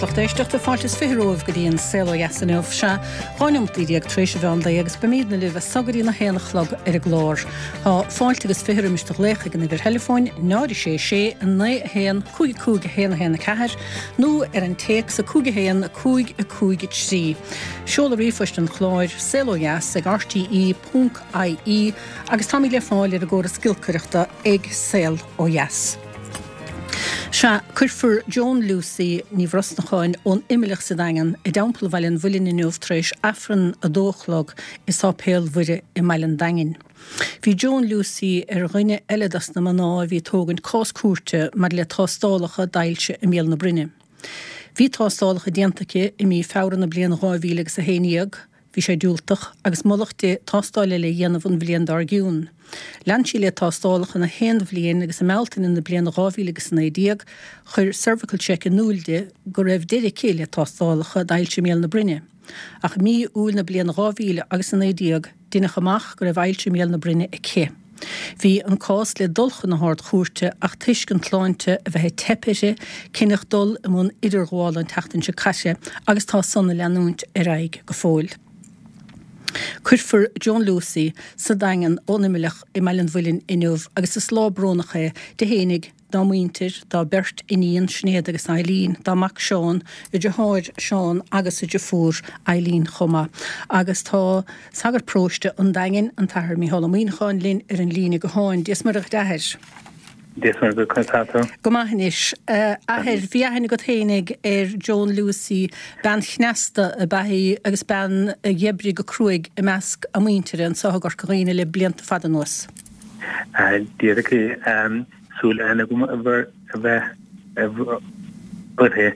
lucht éisteachta, fáilte is 20 romhaibh go dtí an Saol Ó Dheas inniu. Sea, 12 neomat tar éis an mheán lae agus beimídne libh as so go dtí na haon a chlog ar an gclár. Tá fáilte agus 20 roimis do ghlaoch ag an uimhir theileafóin 0 6 6 9 1 5 5 1 1 4 nó ar an téacs 5 1 5 5 3. Seoladh ríomhphoist an chláir, saolodheas ag rte ponc ie agus táimid le fáil ar an gcóras giolcaireachta ag Saol Ó Dheas. Sea, cuirfear Joan Lucey Ní Bhrosnacháin ón Imleach sa Daingean i dTeampall Bhaile an Mhuilinn inniu tar éis Aifreann a dó a chlog i Sáipéal Mhuire i mBaile an Daingin. Bhí Joan Lucey ar dhuine eile dos na mná a bhí ag tógaint cás cúirte maidir le tástálacha d'ailse i mbéal na broinne. Bhí tástálacha déanta aici i mí Feabhra na bliana 2000 agus 11, Bhí sé diúltach, agus moladh di tástáil eile a dhéanamh an bhliain dár gcionn. Lean sí le tástálacha na haon bhliain agus i mBealtaine na bliana 2019 chuir Cervical Check in iúl di go raibh deireadh aici le tástálacha d'ailse i mbéal na broinne. Ach i mí Iúil na bliana 2019 deineadh amach go raibh ailse i mbéal na broinne aici. Bhí an cás le dul chun na hArd-Chúirte ach toisc an tsláinte a bheith ag teip uirthi, cinneadh dul i mbun idirghabhála an tseachtain seo caite agus tá san ag leanúint ar aghaidh go fóill. Cuirfear Joan Lucey sa Daingean ón Imleach i mBaile an Mhuilinn inniu agus is lá brónach é di fhéinig, dá muintir, dá beirt iníon, Sinéad agus Eileen, dá mac Seán, a deartháir Seán agus a deirfiúr Eileen chomh maith. Agus tá sagart paróiste an Daingin, an tAthair Mícheál Ó Muíneacháin, linn ar an líne gutháin. Dia is Muire dhuit a Athair. Dia is Muire dhuit, conas tá tú? Go maith anois. A Athair, bhí aithne agat fhéinig ar Joan Lucey, bean chneasta ab ea í agus bean a d'oibrigh go cruaidh i measc a muintire anseo i gCorca Dhuibhne le blianta fada anuas. Díreach é. Súil aithne agam a bheith uirthi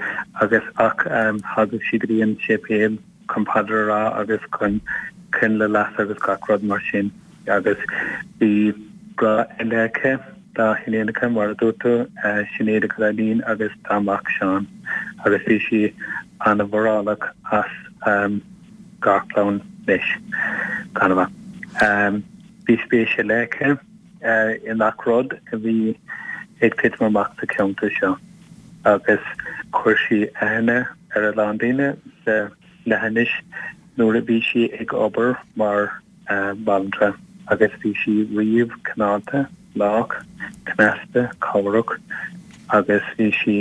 agus ach thagadh sí go dtí an séipéal chun paidir a rá agus chun coinnle a lasadh agus gach rud mar sin agus bhí grá ar leith aici dá hiníonacha mar a dúirt tú, Sinéad agus Eileen agus dá mac Seán agus bhí sí an-mhórálach as garchlann leis. Gan amach. Bhí spéis ar leith aici. i ngach rud a bhí ag titim amach sa cheantar seo agus chuir sí aithne ar a lán daoine sa leathinis nuair a bhí sí ag obair mar bhanaltra agus bhí sí riamh cineálta, lách, cneasta, cabhrach agus bhí sí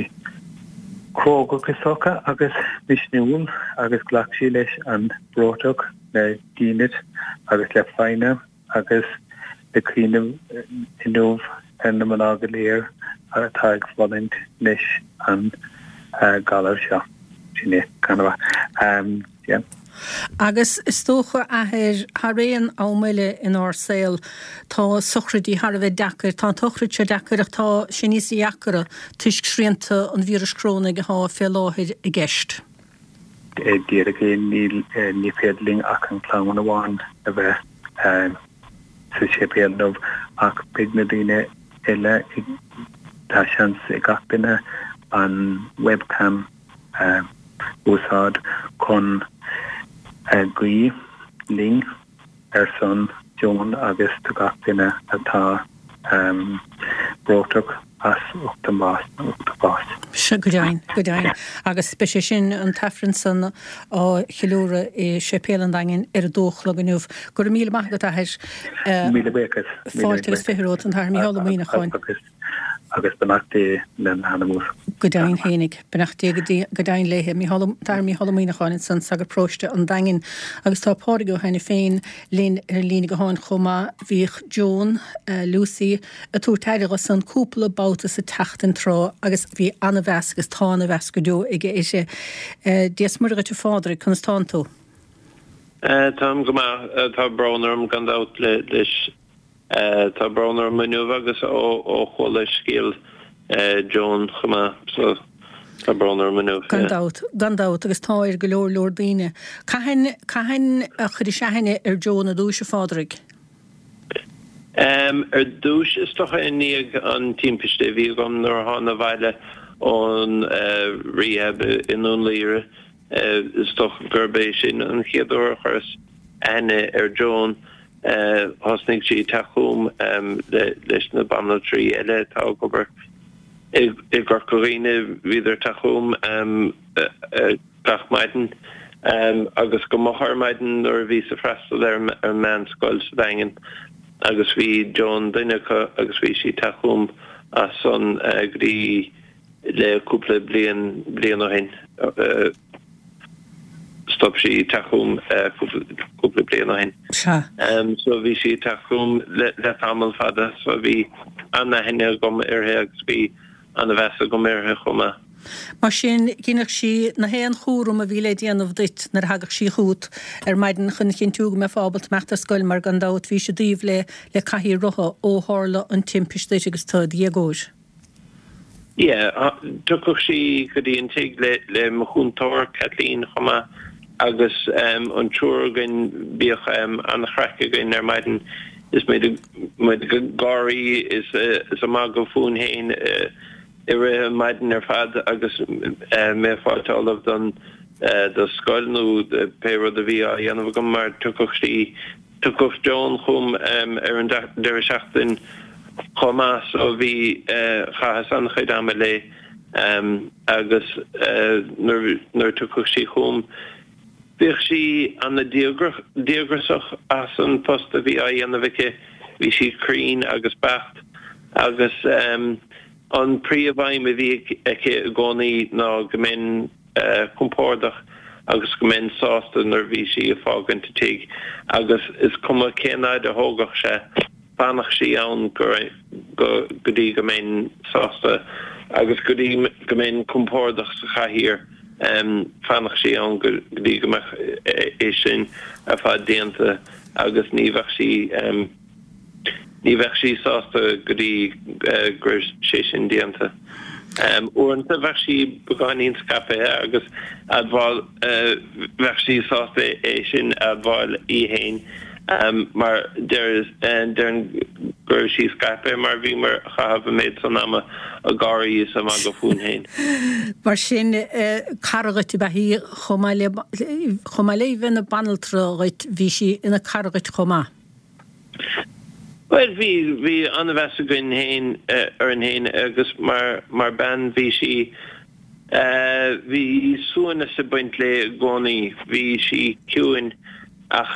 crógach is dócha agus misniúil agus ghlac sí leis an breoiteacht le dínit agus le foighne. Agus ag cuimhneamh inniu ar na mná go léir atá ag fulaingt leis an galar seo. Sin é, gan amach. Yeah. Agus is dócha, a Athair, thar aon am eile inár saol, tá sochraidí thar a bheith deacair. Tá an tsochraid seo deacair ach tá sé níos deacra toisc srianta an víris chorónaigh atá fé láthair i gceist. Díreach é, níl, ní féidir linn ach an clann amháin a bheith sa séipéal inniu ach beidh na daoine eile ag, tá seans ag gach duine an webcam a úsáid chun guí linn. ar son Joan agus do gach duine atá breoiteach as ucht a mbás, ucht a bás. Sea, go deimhin, go deimhin. Agus beidh sé sin, an tAifreann san, á cheiliúradh i Séipéal an Daingin ar a dó a chlog inniu. Go raibh míle maith agat, a Athair. Míle buíochas. Fáilte agus 20 romhat, an tAthair Mícheál Ó Muíneacháin. Agus beannacht Dé lena hanam uasal. Go deimhin fhéinig. Beannacht Dé go deimhin léithe. Mícheál, an tAthair Mícheál Ó Muíneacháin ansan, sagart paróiste an Daingin. Agus tá Pádraig Ó hAiniféin linn ar an líne gutháin chomh maith. Bhíodh Joan, Lucey, ag tabhairt aire dho san cúpla babhta sa tseachtain tráth agus bhí ana-mheas agus tá ana-mheas go deo aige uirthi. Dia 's Muire dhuit a Phádraig, conas tánn tú? Táim go maith. Tá brón orm gan dabht leis Tá brón orm inniu agus ó chuala scéal Joan chomh maith so tá brón orm inniu. Gan dabht, gan dabht agus tá ar go leor leor daoine. Cathain, cathain a chuiris aithne ar Joan ar dtúis a Phádraig? Ar dtúis is dócha i ndiaidh an timpiste a bhí agam nuair a thána abhaile ón rehab i nDún Laoghaire. Is dócha gurb é sin an chéad uair a chuireas aithne ar Joan. Thosnaigh sí ag teacht chugam leis na banaltraí eile atá ag obair. I gCorca Dhuibhne bhíodar ag teacht chugam gach maidin agus go moch ar maidin nuair a bhíos ag freastal ar an meánscoil sa Daingean agus bhí Joan duine acu agus bhí sí ag teacht chugam as san go dtí le cúpla bliain bliain ó shin. Stop sí ag teacht chugam cúpla bliain ó shin. Sea. So bhí sí ag teacht chugam le tamall fada so bhí an-aithne agam uirthi agus bhí an-mheas agam uirthi chomh maith. Mar sin, dheineadh sí na haon chúram a bhí le déanamh duit nuair a thagadh sí chugat ar maidin chun a chinntiú go mbeifeá ábalta imeacht ar scoil mar gan dabht bhís i dtaobh le le cathaoir rotha ó tharla an timpist duit agus tú i do dhéagóir. Yeah, thiocfadh sí go dtí an tigh le le mo chúntóir, Kathleen, chomh maith agus an triúr againn, bhíodh an-chraic againn ar maidin is muid muid ag gáirí is is ag magadh fúinn féin i rith an maidin ar fad agus mé ag fáilt ullamh don do scoil nó pé rud a bhí á dhéanamh agam mar thiocfadh sí Thiocfadh Joan chugam ar an deireadh seachtaine chomh maith so bhí, chaitheas an-chuid ama léi agus nuair a thiocfadh sí chugam bhíodh sí an-díograiseach as an post a bhí á dhéanamh aici, bhí sí cruinn agus beacht agus an príomh-aidhm a bhí aici i gcónaí ná go mbeinn compordach agus go mbeinn sásta nuair a bhí sí ag fágaint an tigh agus is cuma cén fhaid a thógfadh sé, fanfadh sí ann go go dtí go mbeinn sásta agus go dtí go mbeinn compordach sa chathaoir, fanfadh sí ann go dtí go mbeadh é sin ar fad déanta agus ní bheadh sí. Ní bheadh sí sásta go dtí go raibh sé sin déanta. Uaireanta bheadh sí beagáinín scaipthe agus admháil, bheadh sí sásta é sin a admháil í fhéin mar déarfainn go raibh sí scaipthe mar bhíomar a chaitheamh an méid san ama ag gáirí is ag magadh fúinn fhéin. Mar sin, cara dhuit ab ea í chomh maith le, chomh maith le bheith ina banaltra dhuit, bhí sí ina cara dhuit chomh maith. Bhuel, bhí, bhí an-mheas againn fhéin orainn fhéin agus mar, mar bean bhí sí, bhí suaimhneas ag baint léi i gcónaí. Bhí sí ciúin ach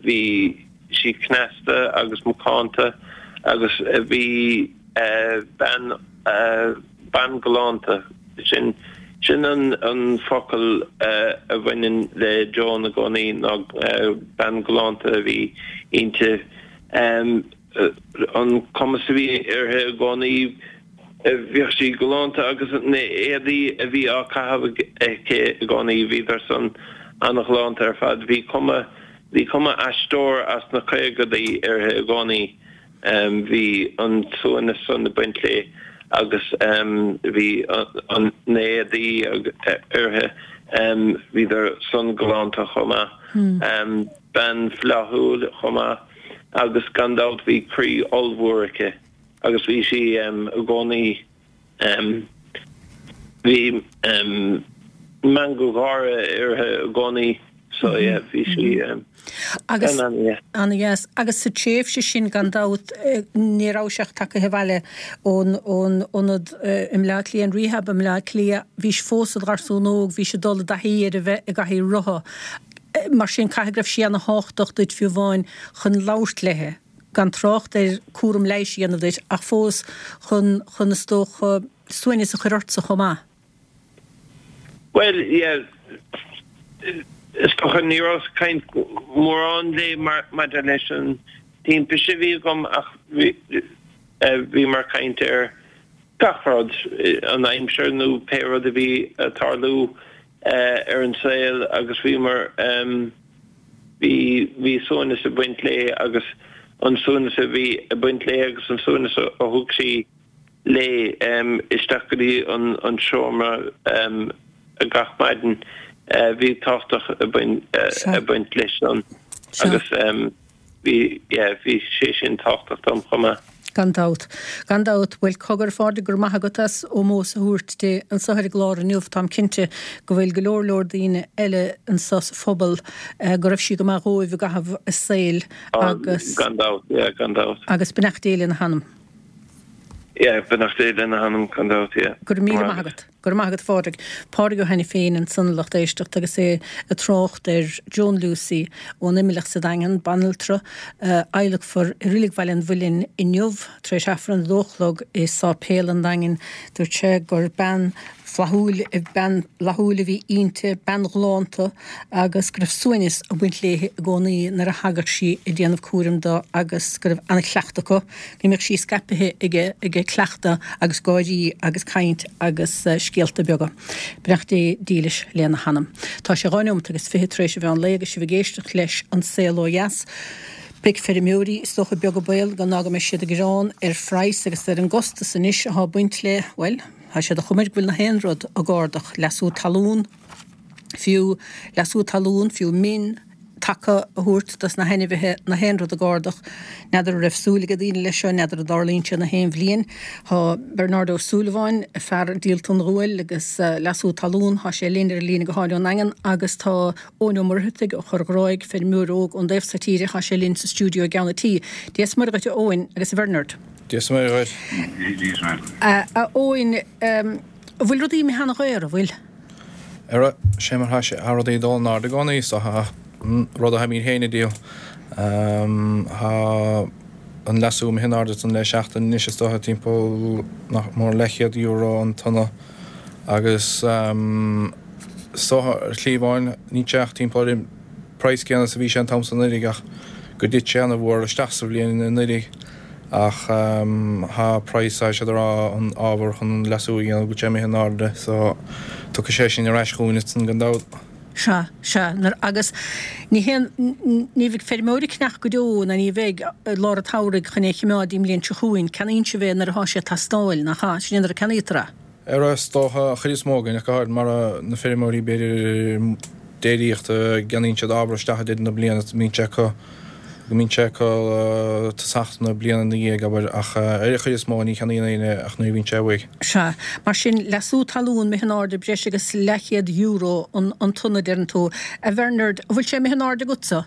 bhí sí cneasta agus macánta agus bhí bean, bean galánta, sin, sin an, an focal a bhaineann le Joan i gcónaí ná bean galánta a bhí inti. An cumas a bhí uirthi i gcónaí, bhíodh sí galánta agus na éadaí a bhí á caitheamh aici i gcónaí, bhíodar san an-ghalánta ar fad. Bhí cuma, bhí cuma aisteoir as na caogadaí uirthi i gcónaí. Bhí an suaimhneas san ag baint léi agus bhí na héadaí uirthi, bhíodar san galánta chomh maith. Bean flaithiúil chomh maith agus gan dabht bhí croí ollmhór aici agus bhí sí i gcónaí Bhí meangadh gáire uirthi i gcónaí so yeah bhí sí Agus, ana-dheas. Agus sa tréimhse sin gan dabht ní rabhais ach tagaithe abhaile ón ón ionad i mBleá Cliath, an rehab i mBleá Cliath, bhís fós i do gharsún óg, bhís ag dul i dtaithí ar a bheith i gcathaoir rotha. Mar sin caithfidh go raibh sí ana-thábhachtach duit fiú amháin chun labhairt léi. gan trácht ar cúram leighis a dhéanamh duit, ach fós chun, chun is dócha, suaimhneas a chur ortsa chomh maith. Bhuel, yeah, is dócha ní rabhas ag caint mórán léi mar, maidir leis an timpiste a bhí agam ach bhí, bhíomar ag caint ar gach rud, an aimsir nó pé rud a bhí ag tarlú ar an saol agus bhíomar, bhí, bhí suaimhneas ag baint léi agus an suaimhneas a bhí ag baint léi agus an suaimhneas a thug sí léi isteach go dtí an, an seomra gach maidin, bhí tábhachtach ag baint, ag baint leis san agus. Bhí, yeah, bhí sé sin tábhachtach dom chomh maith. Gan dabht. Gan dabht. Bhuel, cogar, a Phádraig, go raibh maith agat as ómós a thabhairt di anso ar an gclár inniu. Táim cinnte go bhfuil go leor leor daoine eile anso sa phobal go raibh sí go maith dhóibh i gcaitheamh a saoil agus. Gan dabht, yeah, gan dabht. Agus beannacht Dé lena hanam. Yeah, beannacht Dé lena hanam gan dabht, yeah. Go raibh míle maith agat. Go raibh maith agat a Phádraig. Pádraig Ó hAiniféin ansan a lucht éisteachta agus é ag trácht ar Joan Lucey ón Imileach sa Daingean, banaltra, a adhlacfar i Reilig Bhaile an Mhuilinn inniu tar éis Aifreann a dó a chlog i Sáipéal an Daingin. Dúirt sé gur bean flaithiúil, bean fhlaithiúil a bhí inti, bean ghalánta agus go raibh suaimhneas ag baint léi i gcónaí nuair a thagadh sí ag déanamh cúraim do agus go raibh an-chleachtadh acu, go mbíodh sí scaipthe ag cleachtadh agus gáirí agus caint agus scéalta beaga. Beannacht Dé dílis lena hanam. Tá sé 2 neomat agus 20 tar éis an mheán lae agus sibh ag éisteacht leis An Saol Ó Dheas. Beidh feirmeoirí, is dócha, beag an baol go ná go mbeidh siad ag gearán ar phraghas agus ar an gcostas anois atá ag baint le, bhuel, Tá sé de chuma air go bhfuil na haon rud ag ardach, leasú talún fiú, leasú talún fiú, min taca a thabhairt dos na hainmhithe, na haon rud ag ardach. N'fheadar an raibh súil ag daoine leis seo, n'fheadar an dtarlaíonn sé na haon bhliain. Tá Bernard Ó Súilleabháin, fear díolta an ghuail agus leasú talún, tá sé linn ar an líne gutháin ón nDaingean agus tá Eoin Ó Muircheartaigh ó Chorr Ghráig, feirmeoir óg ón dtaobh so tíre, tá sé linn sa stiúideo i gceann an tí. Dia is Muire dhuit a Eoin agus a Bhernard. Dia is Muire dhuit. A Eoin, an bhfuil rudaí imithe ana-dhaor, an bhfuil? Ara, sé mar thá sé, thá rudaí ag dul in airde i gcónaí, so thá rud a tháimíd féin a díol. Thá an leasú imithe in airde ansan le seachtain anois is dócha, timpeall nach mór leathchéad euro an tonna agus is dócha ar shlí amháin níl sé ach timpeall ar an praghas céanna is a bhí sé an t-am san anuraidh ach go dtit sé ana-mhór isteach sa bhliain anuraidh ach thá praghas tá siad ag rá an ábhar chun an leasú a dhéanamh go bhfuil sé imithe in airde so tiocfaidh sé sin ar ais chugainn ansan gan dabht. Sea, sea, nuair, agus ní haon, ní bheidh feirmeoir ag ceannach go deo ná ní bheidh i lár an tsamhraidh chun é a chimeád don mbliain seo chugainn, ceannaíonn sibh é nuair atá sé ag teastáil, nach ea? Sin é nuair a ceannaítear é. Ara is dócha, an chuid is mó againn, ach go háirid mar na feirmeoirí b'fhéidir déiríochta, gceannaíonn siad ábhar isteach i deireadh na bliana, go mbíonn sé acu, go mbíonn sé acu tosach na bliana ina dhiaidh, abair, ach ar an chuid is mó ní cheannaíonn éinne ach nuair a bhíonn sé uaidh. Sea. Mar sin, leasú talún imithe in airde breis agus leathchéad euro an tonna, deireann tú. A Bhernard, an bhfuil sé imithe in airde agatsa?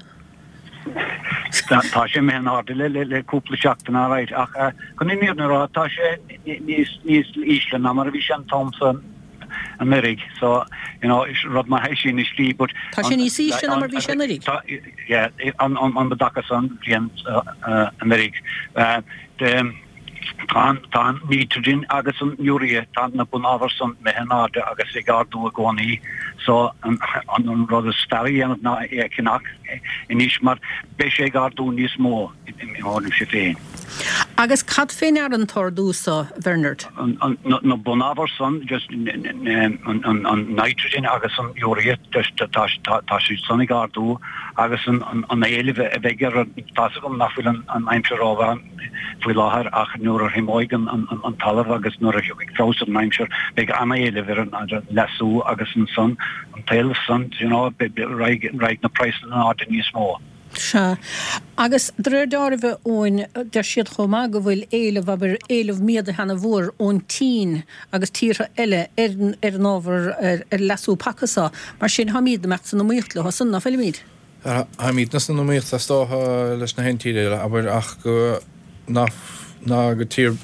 Tá sé imithe in airde le cúpla seachtain alright ach chun an fhírinne a rá tá sé níos níos ísle ná mar a bhí sé an t-am san anuraidh so you know is rud maith é sin i slí but Tá sé níos ísle ná mar a bhí sé anuraidh? Yeah an an dtaca san bhliain anuraidh. Tá an nitrogen agus an urea, tá na bunábhair san imithe in airde agus ag ardú i gcónaí so an rud is fearr a dhéanamh ná é a cheannach anois mar beidh sé ag ardú níos mó i mo thuairimse féin. Agus cad fé ndeara an t-ardú so, Bhernard? Na bunábhair san, just an nitrogen agus an urea, just tá siad san ag ardú agus an éileamh a bheidh ar, tá's agam nach bhfuil an aimsir rómhaith, faoi láthair ach nuair a thriomóidh an talamh agus nuair a thiocfaidh feabhas ar an aimsir beidh an-éileamh ar an leasú agus ansan an t-éileamh san you know raghaidh na praghsanna in airde níos mó. Sea. Agus de réir deáraimh, a Eoin, deir siad chomh maith go bhfuil éileamh, abair, éileamh méadaithe ana-mhór ón tSín agus tíortha eile ar ar an ábhar, ar leasú paca so. Mar sin, táimíd ag imeacht san iomaíocht leo san, ná fuilimíd? Táimídne san iomaíocht is dócha leis na haon tír eile, abair, ach go ná ná go tír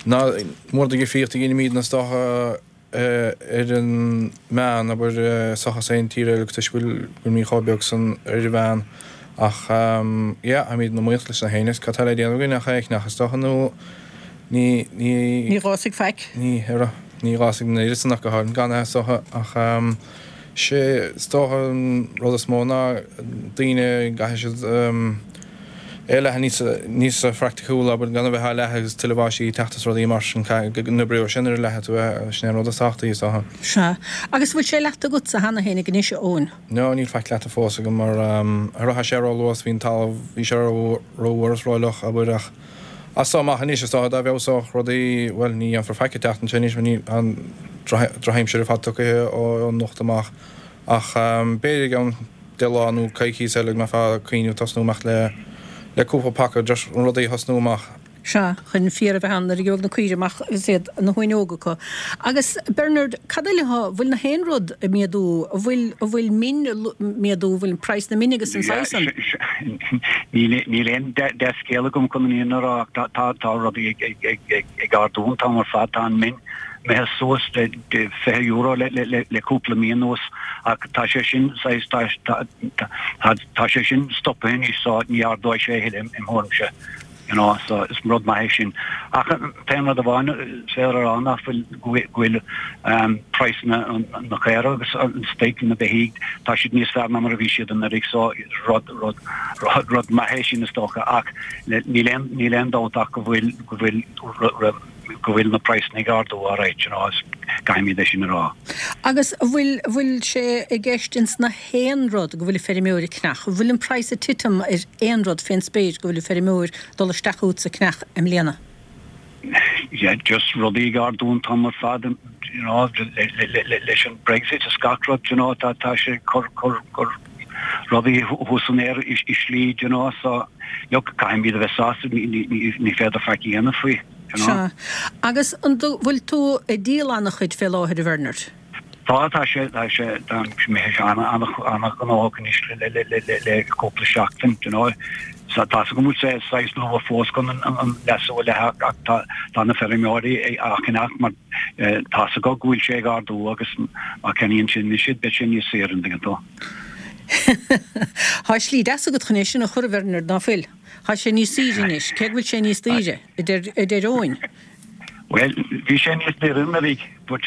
ná mór de dhifríocht a dheinimídne is dócha ar an meán, abair, seachas aon tír eile toisc go bhfuil bhfuilimíd chomh beag san ar an mheán. Ach yeah, táimíd in iomaíocht leis na haon is cad tá le déanamh againn ach é a cheannach is dócha nó ní ní Ní dh'fhásfaidh faic. Ní, ara, ní dh'fhásfaidh an oiread san ach go háirithe gan é is dócha ach. Sé is dócha an rud is mó ná daoine, gcaithfidh siad é a leathadh níos, níos phraicticiúla, abair, gan a bheith á leathadh agus tuilleadh báistí ag teacht is rudaí mar sin, caithfidh go n-oibreoidh sé nuair a leathfaidh tú é, sin é an rud is tábhachtaí is dócha. Sea. Agus an bhfuil sé leathta agatsa cheana féin ag anois, a Eoin? No, níl faic leata fós agam mar ar rachaidh sé ró-luath, bhí an talamh, bhí sé ró-fhuar is ró-fhliuch, abair, ach As so amach anois, is dócha, dá bhfeabhsódh rudaí, bhuel, ní dhéanfar faic an tseachtain seo anois mar ní, an drochaimsir ar fad tugtha ó anocht amach. Ach b'fhéidir i gceann 10 lá nó coicíos eile go mbeifeá ag cuimhneamh tosnú amach le, le cúpla paca, just rudaí a thosnú amach. Sea, chun féar a bheith ann nuair a gheobhaidh na caoirigh amach agus iad, na huain óga acu. Agus, Bernard, cad eile atá, bhfuil na haon rud ag méadú, an bhfuil, an bhfuil min ag méadú, an bhfuil praghas na mine agus an saghas san? Níl, níl aon dea-scéal agam chun an fhírinne a rá ach tá, tá, tá rudaí ag, ag, ag, ag, ag ardú an t-am ar fad, tá an min imithe suas le €20 le, le, le, le cúpla mí anuas ach tá sé sin saghas, tá, tá, tá, tá sé sin stoptha anois so ní ardóidh sé a thuilleadh im thuairimse. You know, so is rud maith é sin. Ach an t-aon rud amháin is féidir a rá ná fuil, go bhfuil praghsanna na caora agus an stoic, na beithígh, tá siad níos fearr ná mar a bhí siad anuraidh so rud, rud, rud, rud maith é sin is dócha ach níl aon, níl aon dabht ach go bhfuil, go bhfuil, go bhfuil na praghsanna ag ardú alright, you know, caithfimid é sin a rá. Agus an bhfuil, an bhfuil sé i gceist ins na haon rud go bhfuil an feirmeoir ag ceannach? An bhfuil an praghas ag titim ar aon rud fén spéir go bhfuil an feirmeoir dul isteach uait ag ceannach i mbliana? Yeah, just rudaí ag ardú an t-am ar fad, you know, leis an Brexit is gach rud, you know, tá, tá sé ag cur, cur, cur rudaí thuas san aer i slí, you know, so, look, caithfimid a bheith sásta, ní, ní, ní, ní féidir faic a dhéanamh faoi, you know. Sea. Agus an bhfuil tú ag díol an-chuid fé láthair, a Bhernard? Tá, tá sé, tá sé, tá mé an-ghnóthach anois le, le, le, le, le cúpla seachtain, you know. So tá a fhios agam go bhfuil sé saghas luath fós chun an, an leasú a leathadh ach tá, tá na feirmeoirí á cheannach mar tá a fhios acu go bhfuil sé ag ardú agus má cheannaíonn siad anois iad beidh sé níos saoire an dtuigeann tú. Tá slí deas agat chun é sin a chur, a Bhernard, ná fuil? Tá sé níos saoire anois, cé go bhfuil sé níos daoire, a deir, a deir Eoin. Bhuel, bhí sé níos daoire anuraidh, but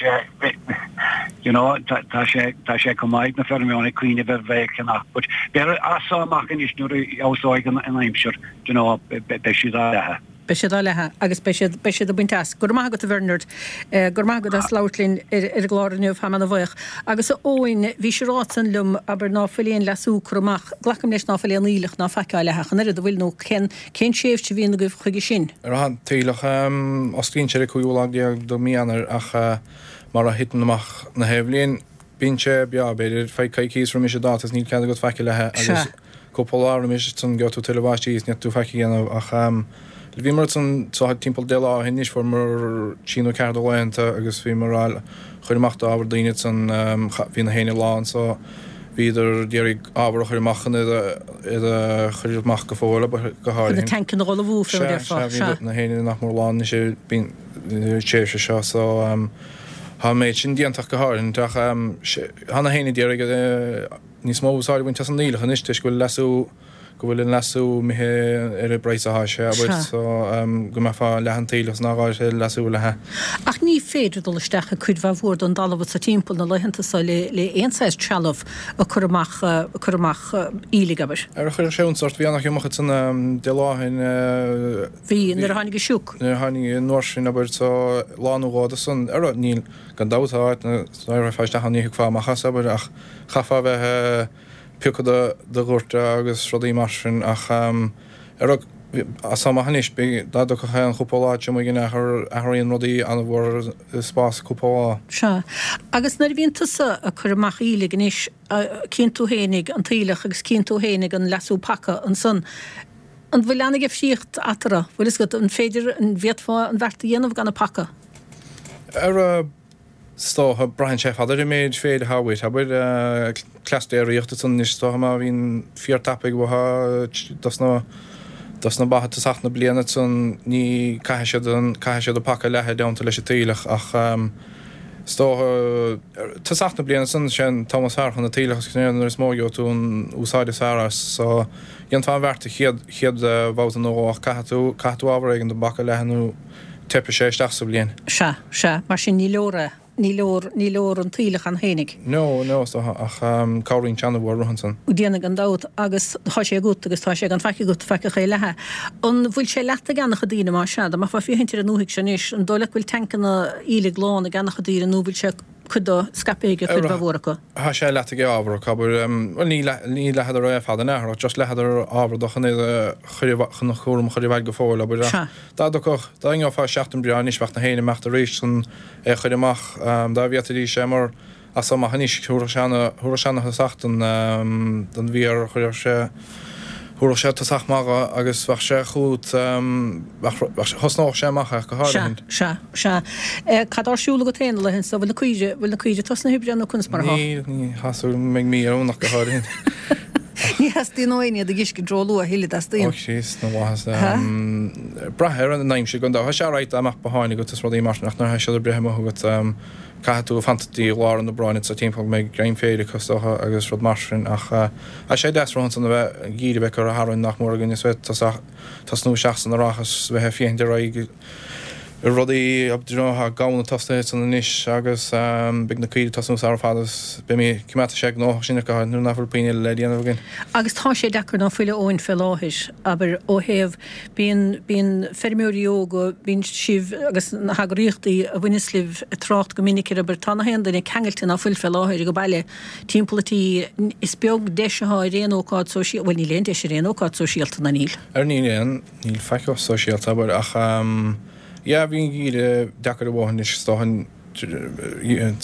you know, tá sé, tá sé chomh maith ag na feirmeoirí cuimhneamh ar bheith ag ceannach, but b'fhéidir as seo amach anois nuair a fheabhsóidh an aimsir, you know, beidh siad á leathadh. Beidh siad á leathadh agus beidh siad, beidh siad ag baint as. Go raibh maith agat a Bhernard. Go raibh maith agat as labhairt linn ar ar an gclár inniu, táim ana-bhuíoch. Agus a Eoin, bhís ag rá ansan liom, abair, ná fuil aon leasú curtha amach, glacaim leis ná fuil aon aoileach ná faic á leathadh ach an oiread, an bhfuil, nó cén, Cén tréimhse a bhíonn agaibh chuige sin? Ar an t-aoileach, osclaíonn sé ar an 15ú lá de mhí Eanáir ach mar a thiteann amach na haon bhliain, bíonn sé beo, b'fhéidir, feadh coicíos roimis an dáta is níl cead agat faic a leathadh agus cúpla lá roimis ansan gheobhaidh tú tuilleadh báistí is ní tú faic a dhéanamh ach bhíomar ansan so timpeall 10 lá ó shin anois fuaireamar trí nó ceathair de laethanta agus bhíomar á chur amach d'ábhar daoine ansan bhí na héinne lán so bhíodar d'iarraidh ábhar a chur amach chun iad a chur amach go fóill, go háirithe. Chun na tancanna a dh'ullmhú, fé mar a déarfá. Sea, sea, bhí na héinne nach mór lán anois ar an tréimhse seo so tá an méid sin déanta go háirithe ach tá na héinne d'iarraidh níos mó úsáid a bhaint as an aoileach anois toisc go bhfuil leasú go bhfuil an leasú imithe ar an bpraghas atá sé, abair, so go mbeifeá ag leathadh an t-aoileach is ná gá leasú a leathadh. Ach ní féidir dul isteach i cuid mhaith mhór den dtalamh atá timpeall na laethanta so le le aon saghas trealamh ag cur amach ag cur amach aoiligh, abair. Ar chuir sé iontas ort, bhí an-iomarca san deich lá ó shin. Bhí, nuair a tháinig an sioc. Nuair a tháinig an uair sin, abair, so lá nó dhó de san, ar, níl, gan dabht, tá áit ina raghfá isteach ann ní thiocfá amach as, abair, ach chaithfeá a bheith, piocadh do dhoirteadh agus rudaí mar sin ach ar as amach anois beidh dá dtiocfadh aon chúpla lá triomaigh in athar athraíonn rudaí an-mhór i spás cúpla lá. Sea. Agus nuair a bhíonn tusa ag cur amach aoiligh anois, cíonn tú fhéinig an t-aoileach agus cíonn tú fhéinig an leasú paca ansan, an bhfuil an-difríocht eatarthu? Bhfuil fhios agat, an féidir, an bhféadfá an bheart a dhéanamh gan an paca? Ar Is dócha, braitheann sé ar fad ar an méid féir atá uait, abair, cleas déiríochta ansan anois, is dócha, má bhíonn fíor tapaidh uathu dos na, dos na ba ag tosach na bliana ansan, ní, caithfidh siad an, caithfidh siad an paca a leathadh i dteannta leis an t-aoileach ach is dócha, tosach na bliana ansan, sé an t-am is fearr chun an t-aoileach is nuair is mó a gheobhaidh tú an úsáid is fearr as, so dhéanfá an bheart an chéad, chéad bhabhta nó dhó ach caithfidh tú, caithfidh tú ábhar éigin don bpaca a leathadh nó teipfidh sé isteach sa bhliain. Sea, sea, mar sin ní leor é, ní leor, ní leor an t-aoileach ann fhéinig. No, no, is dócha, ach cabhraíonn sé an-mhór ansan. Déanfaidh gan dabht, agus tá sé agat agus tá sé gan faic agat, faic a leathadh. An bhfuil sé leata ag an-chuid daoine, más ea, dá mbeifeá ag féachaint ar an ndúthaigh seo anois, an dóigh leat go bhfuil tancanna aoiligh lán ag an-chuid daoine nó an bhfuil sé cuid dó scaipthe ag cuid mhaith mhór acu? Tá sé leata ag ábhar acu, abair, bhuel ní, ní leathadar é ar fad in athar ach just leathadar ábhar do chun é a chur i, chun an cúram a chur i bhfeidhm go fóill, abair, ach. Sea. Dá dtiocfadh, dá ngeofá seachtain breá anois bheadh na héinne imeacht arís chun é a chur amach. Dá bhféadfaidís é mar as so amach anois, thabharfadh sé ana, thabharfadh sé ana thosach don, don bhféar, chuirfeadh sé, Thabharfadh sé tosach maith dho agus bheadh sé chugat, bheadh, thosnódh sé amach ach go háirithe. Sea, sea, sea. Cad tá ar siúl agat féin na laethanta so? Bhfuil na caoire, bhfuil na caoire tosnaithe ag oibriú nó conas mar atá? Níl, ní, tá súil agam go mbeidh mí ar an ach go háirithe. Ní theastaíonn ó éinne iad a dh'fheiscint ró-luath a thuilleadh, dteastaíonn? Ó Chríost na bhFlaitheas. Brath ar an aimsir gan dabht. Tá sé alright dá mbeadh botháin agat is rudaí mar sin ach nuair atá siad ag breith amuigh agat, Caithfidh tú fanacht go dtí lár an Aibreáin anso timpeall go mbeidh greim féir acu is dócha agus rud mar sin ach tá sé deas romhainn san a bheith, an geimhreadh a bheith curtha tharainn nach mór againn is bheith tosach, tosnú isteach san earrach is bheith ag féachaint ar aghaidh ar rudaí, you know, tá gamhna tosnaithe ansan anois agus beidh na caoirigh ag tosnú sara fada is beimid, coimeádfaidh sé gnóthach sinn ach go háirithe nuair nach bhfuil puinn eile le déanamh againn. Agus tá sé deacair ná fuil a Eoin fé láthair, abair, ó thaobh Bíonn, bíonn feirmeoirí óga, bíonn sibh agus na heagraíochtaí a bhaineas libh ag trácht go minic ar, abair, tá nach aon duine ceangailte ná fuil fé láthair age baile timpeall an tí, is beag deis athá ar aon ócáid sóisialta, bhuel níl aon deis ar aon ócáid sóisialta, ná níl? Ar níl aon, níl faic sóisialta, abair, ach yeah, bhí an geimhreadh deacair a dhóthain anois is dócha,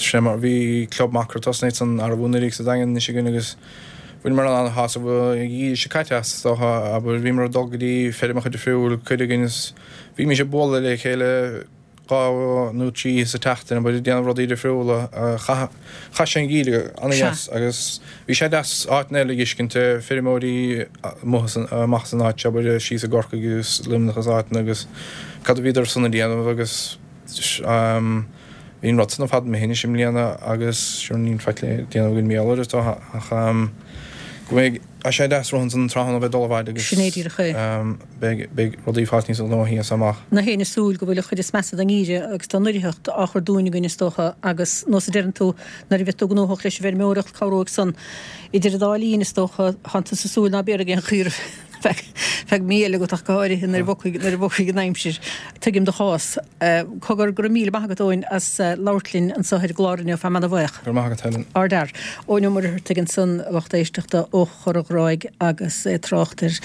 sé mar, bhí club macra tosnaithe san arbhú anuraidh sa Daingean anois againn agus, Bhaineamar an-shásamh an geimhreadh seo caite as, is dócha, abair. Bhíomar ag dul go dtí feirmeacha difriúil, cuid againn, is bhímis ag bualadh le chéile dhá nó trí oíche sa tseachtain, abair, ag déanamh rudaí difriúla. Chaith chaith sé an geimhreadh an-dheas agus bhí sé deas áiteanna eile a dh'fheiscint, feirmeoirí amuigh san, amach as an áit seo, abair, síos i gCorcaigh agus Luimneach agus áiteanna agus cad a bhíodar san ag déanamh agus Bhí an rud san ar fad imithe anois i mbliana agus sure níl faic le déanamh againn mar gheall air is dócha ach go mbeidh tá sé deas romhainn san tráthnóna bheith ag dul abhaile agus Sin é díreach é. beidh beidh rudaí ag fáilt níos gnóthaí as amach. Nach éinne ag súil go bhfuil an chuid is measa den ngeimhreadh agus den oirtheacht á chur dúinn againn is dócha agus nós a deireann tú nuair a bheidh tú gnóthach leis an bhfeirmeoireacht cabhróidh san idir an dá linn is dócha tánn tusa ag súil ná béarfaidh aon chaora feadh mí eile agat ach go háirithe nuair a bhogfaidh nuair a bhogfaidh an aimsir. Tuigim do chás. Cogar, go raibh míle maith agat Eoin as labhairt linn anseo ar an gclár inniu, an-bhuíoch. Go raibh maith agat Helen. Ardfhear. Eoin Ó Muircheartaigh ansan, a lucht éisteachta ó Chorr an Ghráig agus é ag trácht ar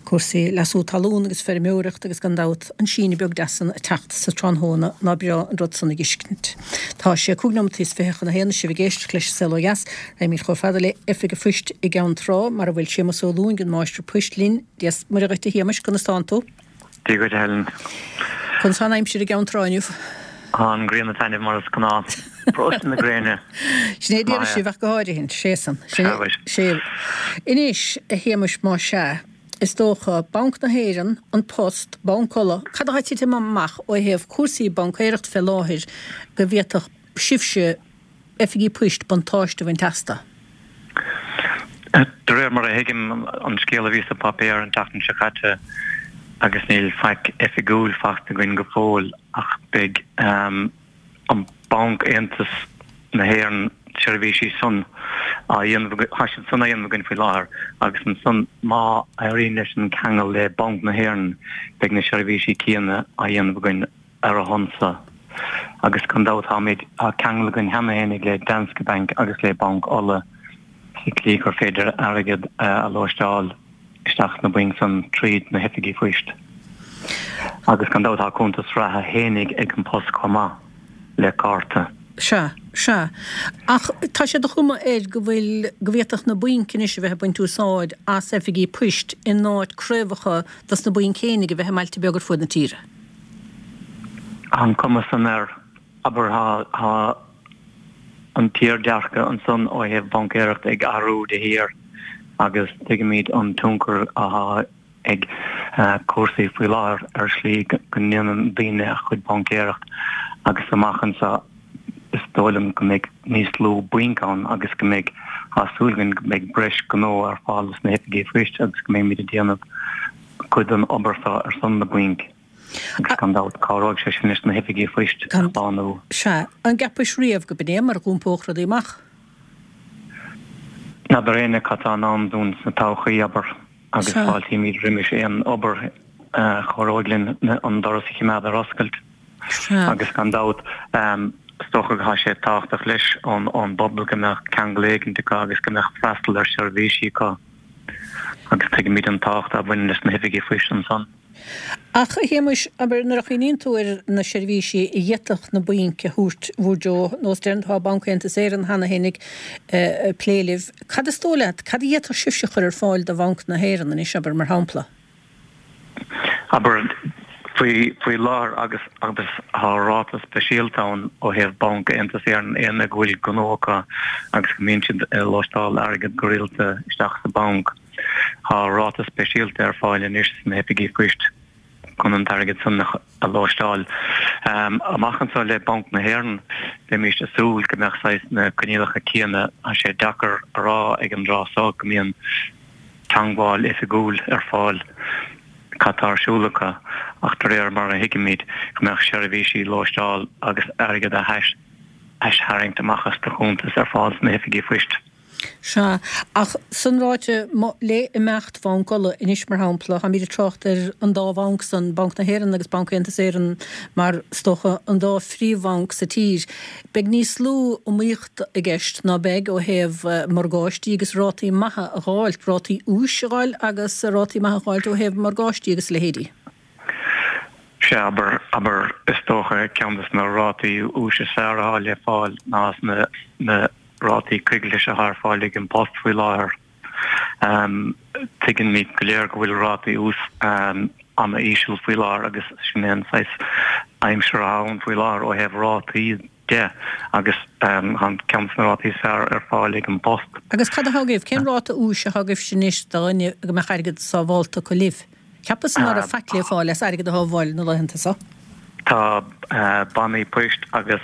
cúrsaí leasú talún agus feirmeoireacht agus gan dabht an síneadh beag deas san ag teacht sa tráthnóna, ná breá an rud san a dh'fheiscint. Tá sé cúig nóimeataí is fiche chun a haon is sibh ag éisteacht leis an Saol Ó Dheas. Raghaimid chomh fada le Oifig an Phoist i gCeann Trá mar a bhfuil Séamus Ó Lúing, an Máistir Poist linn. Dia 's Muire dhuit a Shéamais, conas tánn tú? Dia dhuit a Helen. Conas tá an aimsir i gCeann Trá inniu? Tá an ghrian ag taitneamh mar is gnáth. Paróiste na gréine. Sin é a déarfas sibh ach go háirithe. Sé san. Sin é. Sé. Anois, a Shéamais, más ea, is dócha, Banc na hÉireann, An Post, Banc Uladh, cad atá ag titim amach ó thaobh cúrsaí baincéireacht fé láthair go bhféadfadh sibhse, oifigí poist, buntáiste a bhaint astu? De réir mar a thuigim an scéal a bhí sa páipéar an tseachtain seo caite, agus níl faic oifigiúil fachta againn go fóill, ach beidh an Banc Aontas na hÉireann seirbhísí san á dhéanamh, tá siad san á dhéanamh againn faoi láthair, agus ansan má éiríonn leis an ceangal le Banc na hÉireann beidh na seirbhísí céanna á dhéanamh againn ar a shon-sa. Agus gan dabht táimid, tá ceangal againn cheana fhéinig le Danske Bank agus le Banc Uladh sa tslí gur féidir airgead a lóisteáil isteach sna bainc san tríd na hoifigí phoist. Agus gan dabht tá cuntas reatha fhéinig ag An Post chomh maith le cárta. Sea, sea. Ach tá sé de chuma air go bhfuil, go bhféadfadh na bainc anois a bheith ag baint úsáid as oifigí poist in áit craobhacha dos na bainc fhéinig a bheith i mbailte beaga ar fuaid na tíre. An cuma san air, abair, tá an t-iardhearcadh ansan ó thaobh baincéireachta ag athrú de shíor agus tuigimid an tionchar atá ag cúrsaí faoi láthair ar shlí go ndéanann daoine a chuid baincéireacht agus amach anseo is dóigh liom go mbeidh níos lú bainc ann agus go mbeidh, tá súil againn go mbeidh breis gnó ar fáil sna hoifigí phoist agus go mbeimid ag déanamh cuid den obair seo ar son na bainc agus gan dabht cabhróidh sé sin leis na hoifigí phoist a shlánú. Sea. An gceapais riamh go b'in é mar a dh'iompódh rudaí amach? N'fheadar éinne cad tá i ndán dúinn sna todhchaí, abair, agus fáiltímid roimis aon obair a chabhróidh linn an doras a chimeád ar oscailt. Agus gan dabht, is dócha go tá sé tábhachtach leis ón bpobal go mbeadh ceangal éigint acu agus go mbeadh freastal ar seirbhísí acu. Agus tuigimid an tábhacht a bhaineann leis na hoifigí phoist ansan. Ach, a Shéamuis, abair, nuair a chuimhníonn tú ar na seirbhísí a d'fhéadfadh na bainc a thabhairt bhur dtreo, nós deireann tá Banc Aontas Éireann cheana féin ag plé libh, cad is dóigh leat, cad a d'fhéadfadh sibhse a chur ar fáil do Bhanc na hÉireann anois, abair, mar shampla? Abair, faoi, faoi láthair agus, agus tá ráta speisialta ann ó thaobh Banc Aontas Éireann, éinne go bhfuil gnó acu agus go mbíonn siad ag lóisteáil airgead go rialta isteach sa bhanc. Tá ráta speisialta ar fáil anois sna hoifigí poist chun an t-airgead san a lóisteáil. Amach anseo le Banc na hÉireann, bheimís ag súil go mbeadh saghas na coinníollacha céanna. Tá sé deacair a rá ag an dtráth so go mbíonn teangmháil oifigiúil ar fáil cad tá ar siúl acu ach de réir mar a thuigimid go mbeadh seirbhísí lóisteáil agus airgead a aistharraingt amach as do chuntas ar fáil sna hoifigí phoist. Sea, ach san ráite, le imeacht Bhanc Uladh anois, mar shampla, táimid ag trácht ar an dá bhanc san, Banc na hÉireann agus Banc Aontas Éireann, mar, is dócha, an dá phríomhbhanc sa tír. Beidh níos lú iomaíochta i gceist, ná beidh, ó thaobh morgáistí agus rátaí maithe a dh'fháilt, rátaí úis a dh'fháil agus rátaí maithe a dh'fháilt ó thaobh morgáistí agus a leithéidí. Sea, abair, abair, is dócha, ceann de na rátaí úis is fearr atá le fáil ná sna, na. rátaí coigiltis atá ar fáil ag An Post faoi láthair. Tuigimid go léir go bhfuil rátaí úis an-íseal faoi láthair agus sin é an saghas aimsir atá ann faoi láthair ó thaobh rátaí de agus tá ceann de na rátaí is fearr ar fáil ag An Post. Agus cad atá agaibh? Cén ráta úis atá agaibhse anois do dhuine go mbeadh airgead sábhálta acu libh? Cheapas-sa ná raibh faic le fáil as airgead a shábháil na laethanta so. Tá bannaí poist agus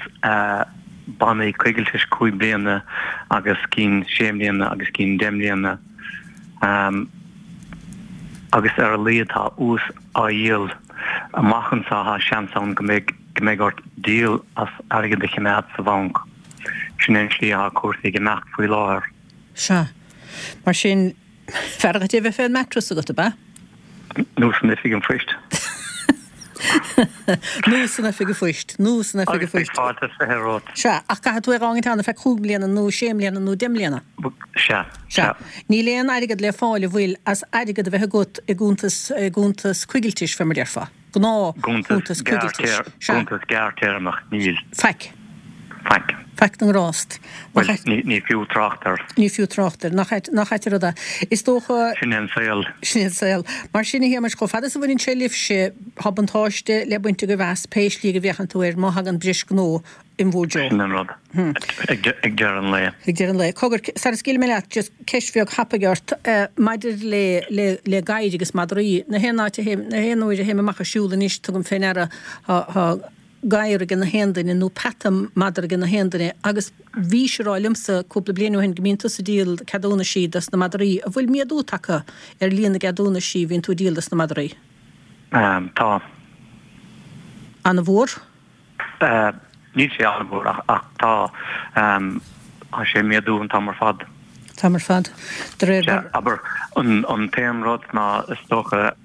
bannaí coigiltis 5 bliana agus cinn 6 mbliana agus cinn 10 mbliana agus ar a laghad tá ús á dhíol. Amach anseo tá seans ann go mbeidh go mbeidh ort díol as airgead a choimeád sa bhanc. Sin é an tslí atá cúrsaí ag imeacht faoi láthair. Sea. Mar sin. B'fhearr dhuit é bheith fén mattress agat, ab ea? Nó san oifig an phoist. Nó san oifig an phoist. Nó san oifig an phoist. Agus beidh fáilte is 20 romhat. Sea, ach caithfidh tú é a dh'fhágaint ann ar feadh chúig mbliana nó sé mbliana nó deich mbliana. Sea, sea. Níl aon airgead le fáil an bhfuil as airgead a bheith agat i gcuntas, i gcuntas coigiltis, fé mar déarfá. Gnáthchuntas coigiltis. Sea. Cuntas gearrthéarmach, níl. Faic. Faic. Faic na ngrást. Bhuel, ní fiú trácht air. Ní fiú trácht air. Nach ait, nach ait an rud é. Is dócha. Sin é an saol. Sin é an saol. Mar sin, a Shéamais, chomh fada is a bhaineann sé libhse, tá buntáiste le baint agaibh as, pé slí go bhféachann tú air, má thagann bris gnó in bhur dtreo. Sin an rud. Ag deireadh an lae. Ag deireadh an lae. Cogar, sara scaoilfidh mé leat, just ceist bheag thapaidh ort maidir le, le, le gadhair agus madraí. Na haon áit a théim, na haon uair a théim amach ag siúl anois, tugaim fé ndeara, tá, tá gadhar ag na haon duine nó peata madra ag na haon duine agus bhís ag rá liomsa cúpla bliain ó shin go mbíonn tusa ag díol ceadúnaisí dos na madraí. An bhfuil méadú tagtha ar líon na gceadúnaisí a bhíonn tú ag díol dos na madraí? Tá. An-mhór? Níl sé an-mhór ach tá, tá sé ag méadú an t-am ar fad. T-am ar fad. De réir mar. Abair, an t-aon rud ná is dócha,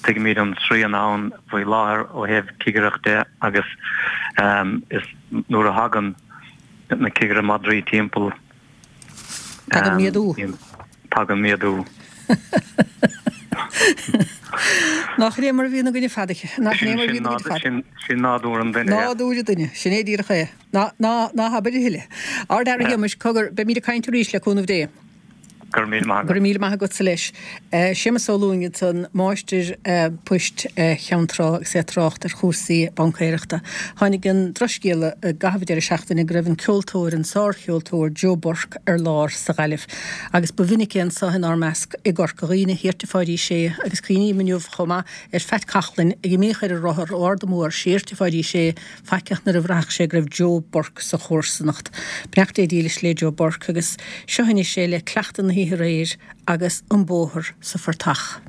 tuigimid an srian ann faoi láthair ó thaobh cigireacht de agus is nuair a thagann na cigire madraí timpeall, Tagann méadú. Tagann méadú. Nach é mar a bhíonn againne fada. Nach é mar a bhíonn againne fada. Sin nádúr an duine. Nádúr an duine. Sin é díreach é. Ná, ná, ná habair a thuilleadh. Ardfhear a Shéamais, cogar, beimid ag caint arís le cúnamh Dé. Go raibh míle maith agat. Go raibh míle maith agatsa leis. Séamus Ó Lúing ansan, máistir poist Cheann Trá agus é ag trácht ar chúrsaí baincéireachta. Tháinig an drochscéala i gcaitheamh an deireadh seachtaine go raibh an ceoltóir, an sárcheoltóir Joe Burke ar lár sa Ghaillimh. Agus ba mhinic é anso inár measc i gCorca Dhuibhne, thiar tigh Pháidí Sé agus cuimhním inniu chomh maith ar Phat Coughlan ag imíoch ar a rothar ó Ard an Bhóthair siar tigh Pháidí Sé faiceach nuair a bhraitheadh sé go raibh Joe Burke sa chomharsanacht. Beannacht Dé dílis le Joe Burke agus seo anois é le cleachtadh na hoíche aréir agus an bóthar sa phortach.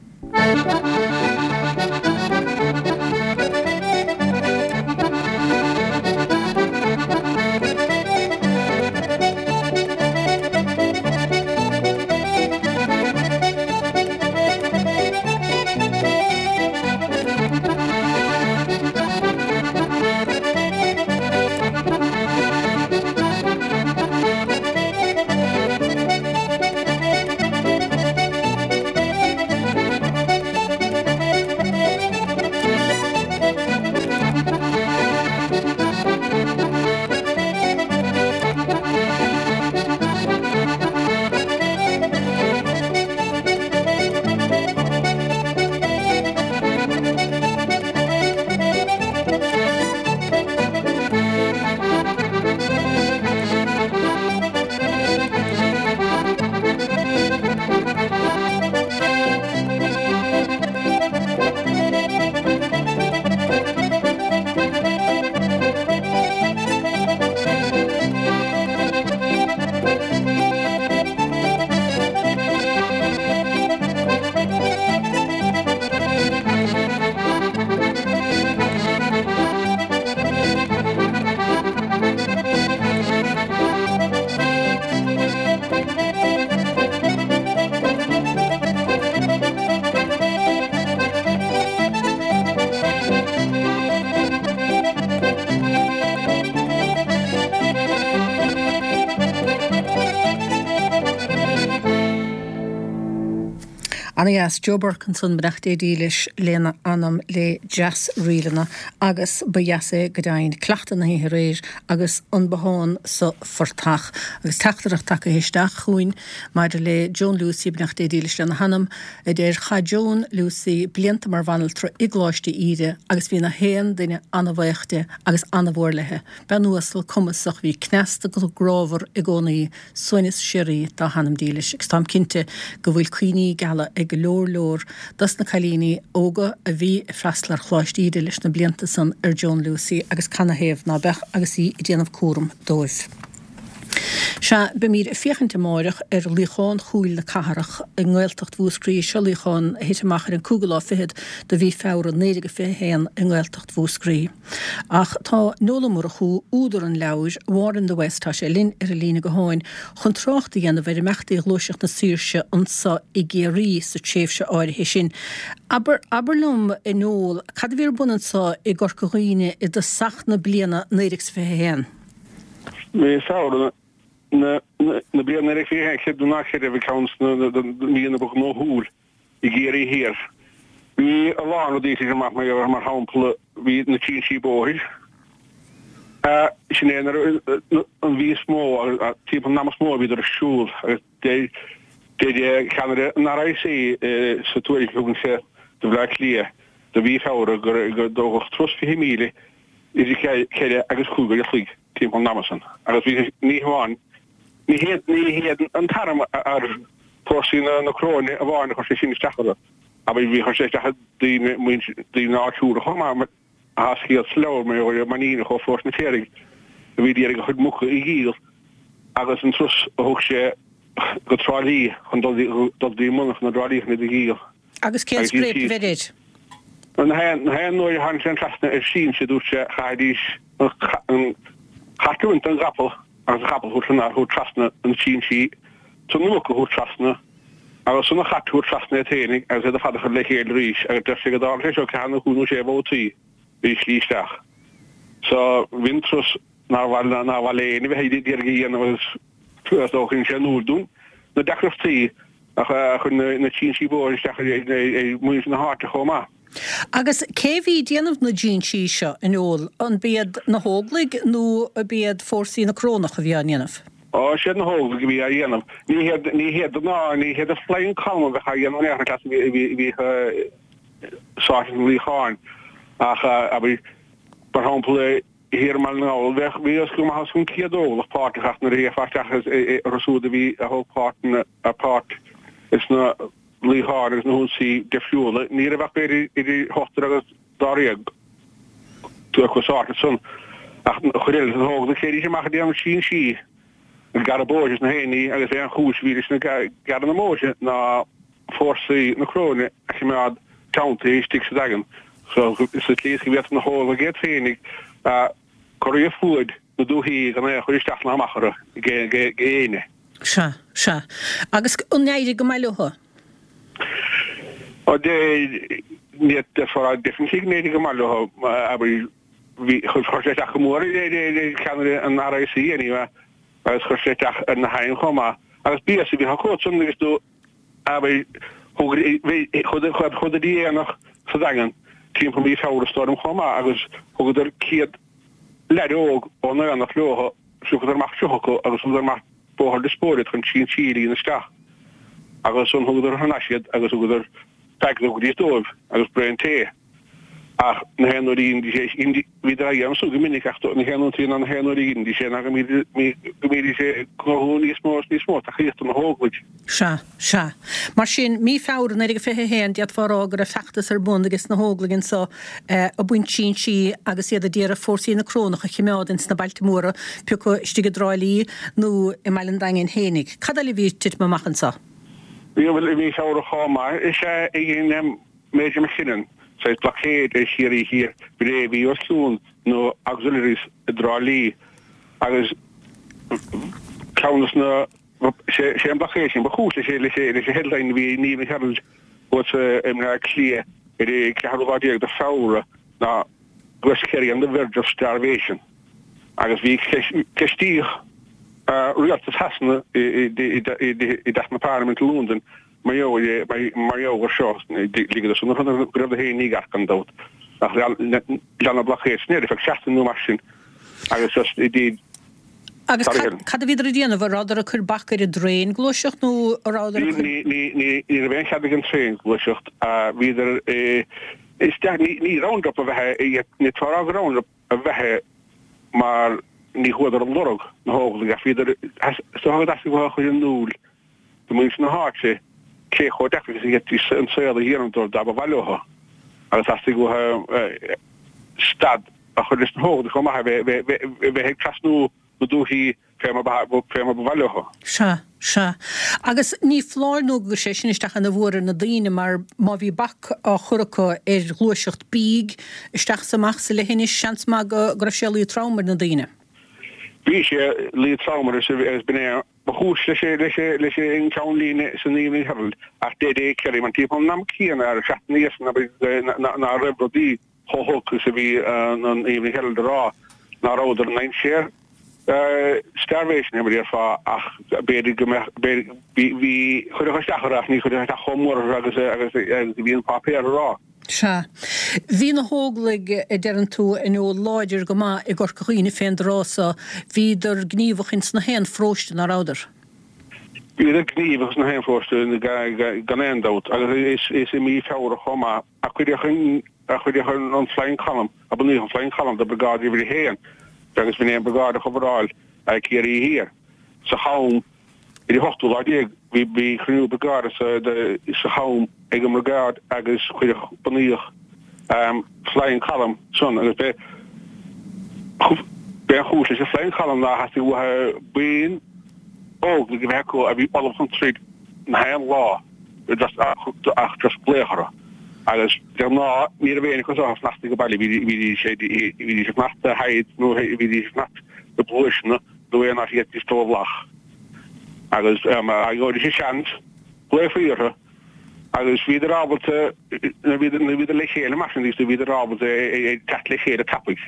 Ana dheas. Joe Burke ansan, beannacht Dé dílis lena anam le Deasríleanna agus ba dheas é go deimhin, cleachtadh na hoíche aréir agus an bothán sa phortach. Agus teachtaireacht tagtha isteach chugainn maidir le Joan Lucey, beannacht Dé dílis lena hanam, a deir, Chaith Joan Lucey blianta mar bhanaltra i gColáiste Íde agus bhí na haon duine ana-bhaoch di agus ana-mhór léi. Bean uasal, cumasach, bhí cneasta grámhar i gcónaí, Suaimhneas síoraí dá hanam dílis agus táim cinnte go bhfuil cuimhní geala ag go leor leor dos na cailíní óga a bhí ag freastal ar Choláiste Íde leis na blianta san ar Joan Lucey agus canathaobh ná beadh agus í ag déanamh cúram dóibh. Sea, beimíd ag féachaint amáireach ar Luíochán Chúil na Cathrach i nGaeltacht Mhúscraí. Seo luíochán a thit amach ar an cúigiú lá fichead de mhí Feabhra 1921 i nGaeltacht Mhúscraí. Ach tá Noel Ó Murchú, údar an leabhair, War in the West, tá sé linn ar an líne gutháin chun trácht a dhéanamh ar imeachtaí Ghluaiseacht na Saoirse anso i gCiarraí sa tréimhse áirithe sin. Abair, abair liom, a Noel, cad a bhí ar bun anso i gCorca Dhuibhne i dtosach na bliana 1921? Mí Feabhra na bliana 1921, creid nó ná creid é, bhí ceann de na míonna ba ghnóthúil i gCiarraí Thiar. Bhí a lán rudaí ag titim amach mar shampla bhí na trinsí bóthair. Sin é nuair an mhí is mó timpeall an ama is mó a bhíodar ar siúl agus deir deir ceannaire an RIC sa tuairisc a thugann sé do Bhleá Cliath do mhí Feabhra gur dódh turas 20,000 idir cheithre agus chúig uair a chloig timpeall an ama san agus bhí ní hamháin Ní hiad ní hiad an t-arm ar fórsaí na Coróine amháin a chuir sé sin isteach orthu, ach bhí chuir sé isteach ar daoine muintir daoine áitiúla chomh maith mar atá scéal sa leabhar mar gheall ar Mainníneach ó Pharóiste na Piaraigh a bhí d'iarraidh a chuid muca a dhíol agus an turas a thug sé go Trá Lí chun dul dul dtí an monarchan i dTrá Lí chun iad a dhíol. Agus cén Agus scréip a bheir air? Na haon uair a tháinig sé trasna ar sinse, dúirt sé, chaithfidís an cat a bhaint den gcapall agus an capall a thabhairt trasna an trinsí, 's na muca a thabhairt trasna, agus an cat a thabhairt trasna iad féinig agus iad ar fad a chur le chéile arís agus deir sé go dtarla sé seo ceathair nó cúig nó sé bhabhtaí ar an slí isteach. So bhí an turas nár mhaith nár mhaith le éinne bheith ag iarraidh a dhéanamh agus is dócha insint sé in iúl dúinn na deacrachtaí a chuir na trinsí bóthair isteach ar mhuintir na háite chomh maith. Agus cé bhí ag déanamh na dtrinsí seo, a Noel? An b'iad na hÓglaigh nó ab iad fórsaí na Corónach a bhí á ndéanamh? Ó, siad na hÓglaigh a bhí á dhéanamh. Ní hiad, ní hiad ná, ní hiad an Flying Column a bheadh á dhéanamh in aon chor, a bhí, a bhí sáite sna luíocháin ach, abair, mar shampla, thiar i mBaile na nGall, bheadh, bhí os go maith os cionn 100 Óglach páirteach ach nuair a théifeá isteach orthu siúd a bhí, a thóg páirt ina, páirt sna luíocháin agus na hionsaí difriúla, ní raibh ach b'fhéidir idir ochtar agus dáréag acu sáite ansan. Ach an chuid eile de na hÓglaigh, théidís amach ag déanamh trinsí, ag gearradh bóithre is na haon ní agus é an chúis a bhí leis na gearradh na mbóithre ná fórsaí na Coróine a choimeád teanntaithe istigh sa Daingean sa tslí is go bhféadfadh na hÓglaigh iad féinig a cur ar fuaid na dúichí gan aon chur isteach ná amach orthu ag éinne. Sea, sea. Agus an éirigh go maith leo? Ó, ní déarfá definitely go n-éirigh go maith leo, abair, bhí, chuir sé isteach go mór ar cheannaire an RIC anyway agus chuir sé isteach ar na hairm chomh maith. Agus béasa a bhí acu ansan agus tú Abair, chuadar go dtí aonach sa Daingean timpeall mí Feabhra is dóigh liom chomh maith agus thugadar 100 leaid óg ón aonach leo, phiocadar amach 30 acu agus thugadar amach Bóthar Lios Póil iad chun trinsí a líonadh isteach agus ansan thugadar thar n-ais iad agus thugadar packet of goodies dóibh agus braon tae. Ach na haon uair a dheinidís é, bhíodar á dhéanamh san go minic ach na haon uair ná na haon uair a dheinidís é ná go mbídís ag gnóthú níos mó is níos mó tacaíochta na hÓglaigh. Sea, sea. Mar sin, mí Feabhra 1921, d'fhéadfá a rá go raibh feachtas ar bun ages na hÓglaigh anso ag baint trinsí agus iad a d'iarraidh fórsaí na Corónach a chimeád ins na bailte móra, pé acu istigh i dTrá Lí nó i mBaile an Daingin fhéinig. Cad eile a bhí ag titim amach anso? Bhí, bhuel, i mí Feabhra chomh maith, is ea, a dhein Major McKinnon, saghas blockade ar Chiarraí Thiar bré a bhí os cionn na Auxiliaries i dTrá Lí agus ceann des na, sé an blockade sin ba chúis leis leis an headline a bhí in Evening Herald thuas i mBleá Cliath ar an ceathrú lá déag de Feabhra ná West Kerry on the verge of starvation agus bhí ceistíodh rialtas Shasana i dTeach na Parlaiminte i Londain. Mar gheall air seo, ligeadar san orthu go raibh féin mícheart gan dabht, ach lean an blockade sin air ar feadh seachtain nó mar sin agus just indeed Agus cad a bhíodar ag déanamh? An rabhadar ag cur bac ar an dtraein gluaiseacht nó an rabhadar ag cur. Ní raibh aon chead ag an traein gluaiseacht. Bhíodar isteach, ní round-up a bheith, ní tráth go round-up a bheith mar ní chuadar ag lorg na hÓglaigh ach bhíodar, is dócha go dteastaigh uathu a chur in iúl do mhuintir na háite cé chomh deacair is a d'fhéadfaí an saol a dhéanamh dóibh dá mba mhaith leo agus theastaigh uathu stad a chur leis na hÓglaigh chomh maith a bheith ag trasnú na dúichí fé mar ba mhaith leo. Sea, sea. Agus ní foláir nó gur chuir sé sin isteach ana mhór ar na daoine mar má bhí bac á chur acu ar ghluaiseacht bídh isteach is amach sa leithinis, seans maith go raibh sé ag luí trom ar na daoine. Bhí sé ag luí trom orthu agus b'in é Ba chúis leis an gceannlíne san Evening Herald ach deir é Kerry mar timpeall an am céanna ar seachtain ina dhiaidh sin ná raibh rudaí chomh holc is a bhí an Evening Herald a rá ná rabhadar i ndainséar starvation mar a déarfá ach b'fhéidir go mbeadh bhí chuirfeadh isteach orthu ach ní chuirfeadh isteach chomh mór orthu agus agus a bhí an páipéar a rá. Sea. Bhí na hÓglaigh, a deireann tú, inniu láidir go maith i gCorca Dhuibhne fén dtráth so. Bhíodar gníomhach ins na haon pharóiste, ná rabhadar? Bhíodar gníomhach ins na haon pharóiste, gan aon dabht, agus is i mí Feabhra chomh maith a cuireadh an, a cuireadh an Flying Column, a bunaíodh an Flying Column do Briogáid Uimhir a hAon, agus b'in é an briogáid a choveráil Ciarraí Thiar sa cham. Ar an ochtú lá déag bhí bhí cruinniú briogáide sa cham ag an mbriogáid agus cuireadh bunaíodh Flying Column san agus b'é b'é an chúis leis an Flying Column ná theastaigh uathu buíon Óglaigh a bheith acu a bhí ullamh chun troid na haon lá ach just glaoch orthu agus de ghnáth ní raibh éinne acu seo ag fanacht ag baile bhídís bhídís ag fanacht i hides nó bhídís ag fanacht i bpluaiseanna nó aon áit a bhféadfaidís dul i bhfolach agus dá bhfaighidís seans ghlaofaí orthu agus bhíodar ábalta nuair bhíodar le chéile mar sin bhíodar ábalta teacht le chéile tapaidh.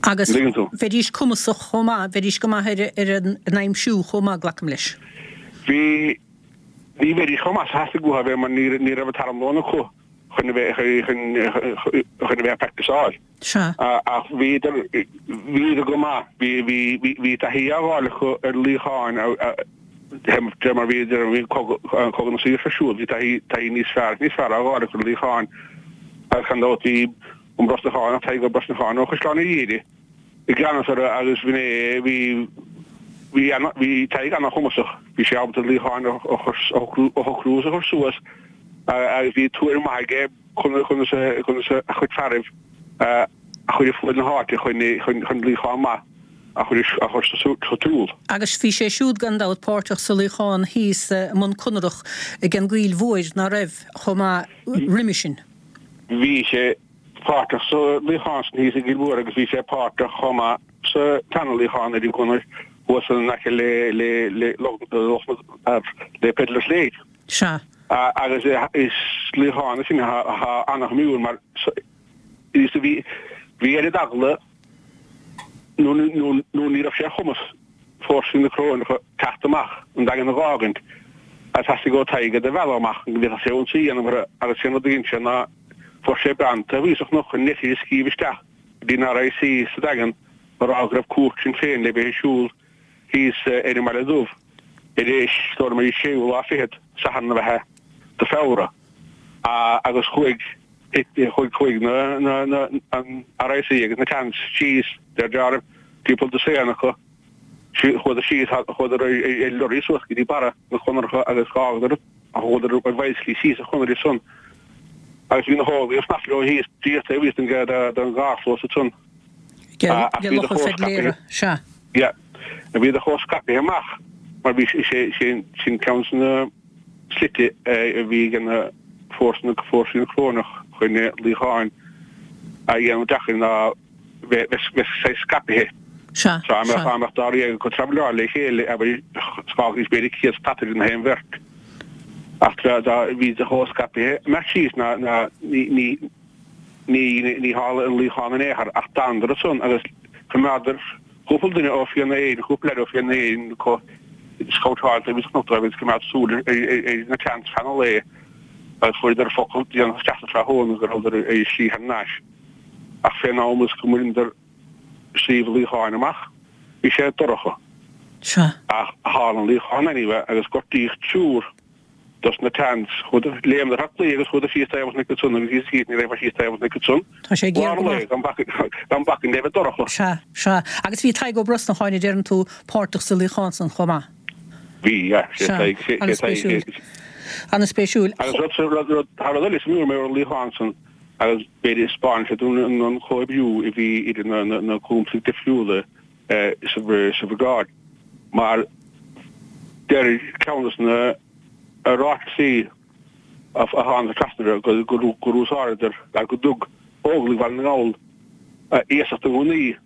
Agus bheidís cumasach chomh maith, bheidís go maith ar an aimsiú chomh maith, glacaim leis. Bhí, ní bheidís chomh maith is a theastaigh uathu a bheith mar ní raibh an t-armlón acu chun a bheith chun a bheith ag practiceáil. Sea. Ach bhíodar, bhíodar go maith. Bhí, bhí, bhí, bhí taithí á fháil acu ar luíocháin de mar bhí, bhí cogadh, cogadh na saoirse ar siúl. Bhí taithí, taithí níos fearr, níos fearr á fháil acu ar luíocháin. Agus gan dabht bhí an Brosnachánach, Tadhg Ó Brosnacháin ó Chaisleán an Bharraigh i gceannas orthu agus bhí, bhí, bhí, bhí Tadhg ana-chumasach. Bhí sé ábalta luíocháin a shocrú, a shocrú is a chur suas agus bhí tuairim mhaith aige conas a chuid fearaibh a chur i fuaid na háite chun luíochán maith a chur sa tsiúl. Agus bhí sé siúd gan dabht páirteach sa luíochán thíos i mBun Conrach ag an gCoill Mhóir, ná raibh, chomh maith roimhe sin? Bhí sé páirteach sa luíochán sin thíos i gCill Mhóir agus bhí sé páirteach chomh maith sa tseana luíochán ar an gconair thuas in aice le le Peddler's Lake. Sea. Agus is luíochán é sin atá ana-shuimiúil mar is bhí bhí oiread eagla nó nó ní raibh sé ar chumas fórsaí na Coróineacha teacht amach an Daingean a dh'fhágaint agus theastaigh ó Tadhg iad a mhealladh amach go bhféadfadh sé ionsaí a dhéanamh orthu agus sé an rud a dhein sé ná fuair sé bean taobh thíos sa chnoc chun litir a scríobh isteach go dtí an RIC sa Daingean a rá go raibh cúirt Sinn Féin le bheith ar siúl thíos ar an mBaile Dubh ar an is dóigh liom ar an séú lá fichead, Satharn ab ea, de Feabhra, agus chuaigh chuaigh chuaigh na na na an RIC agus na Tans síos deir deáraimh timpeall dosaen acu chuadar síos chuadar ar lorry suas go dtí barra na conartha agus dh'fhágadar chuadar ar bhicyclí síos an chonair ansan agus bhí na hÓglaigh ag fanacht leo thíos díreach taobh thíos den den gcarrchlós ansan. Ach bhíodar chomh scaipthe. Sea. Yeah. Bhíodar chomh scaipthe amach mar bhí sé sin sin ceann de na slite a bhí ag na fórsaí fórsaí na Coróineach chun luíocháin a dhéanamh deacair ná bheith bheith saghas scaipthe. Sea. Dá mbeadh dá mbeadh dáréag acu travelláil le chéile abair d'fhágfaidís b'fhéidir 100 stataire na haon bheirt. Ach dá bhíodar chomh scaipthe amach síos ná ná ní ní Ní tharla an luíochán in aon chor ach d'fhanadar ansan agus choimeádar cúpla duine ó Fianna Éireann, cúpla leaid ó Fianna Éireann acu. Scabhtáilte a bhí sa chnoc dóibh agus coimeád súil ar na tents feadh an lae agus fuaireadar focal déanach isteach sa tráthnóna go rabhadar ar slí thar n-ais. Ach fén am is go mbaineadar Sliabh an Luíocháin amach bhí sé dorcha. Sea. Ach tharla an luíochán anyway agus gortaíodh triúr dos na tents. Chuadar, léimeadar thar claí agus chuadar síos taobh an chnoic ansan agus thíos thíos ní raibh síos taobh an chnoic ansan. Tá sé géar go maith. Gan gan bacainn le bheith dorcha. Sea, sea. Agus bhí Tadhg Ó Brosnacháin, a deireann tú, páirteach sa luíochán san chomh maith. Bhí, yeah. Sé Sea, Tadhg, sé, sé Tadhg, an-spéisiúil. An-spéisiúil. Agus rud, rud, rud, tá rud eile suimiúil mar an luíochán san agus b'fhéidir spáineann sé dúinn an comhoibriú a bhí idir na, na, na cúntaí difriúla sa, sa bhriogáid mar deir ceann de na ráití a tháinig trasna gur úsáideadar ar go dtug Óglaigh Bhaile na nGall iasacht de ghunnaí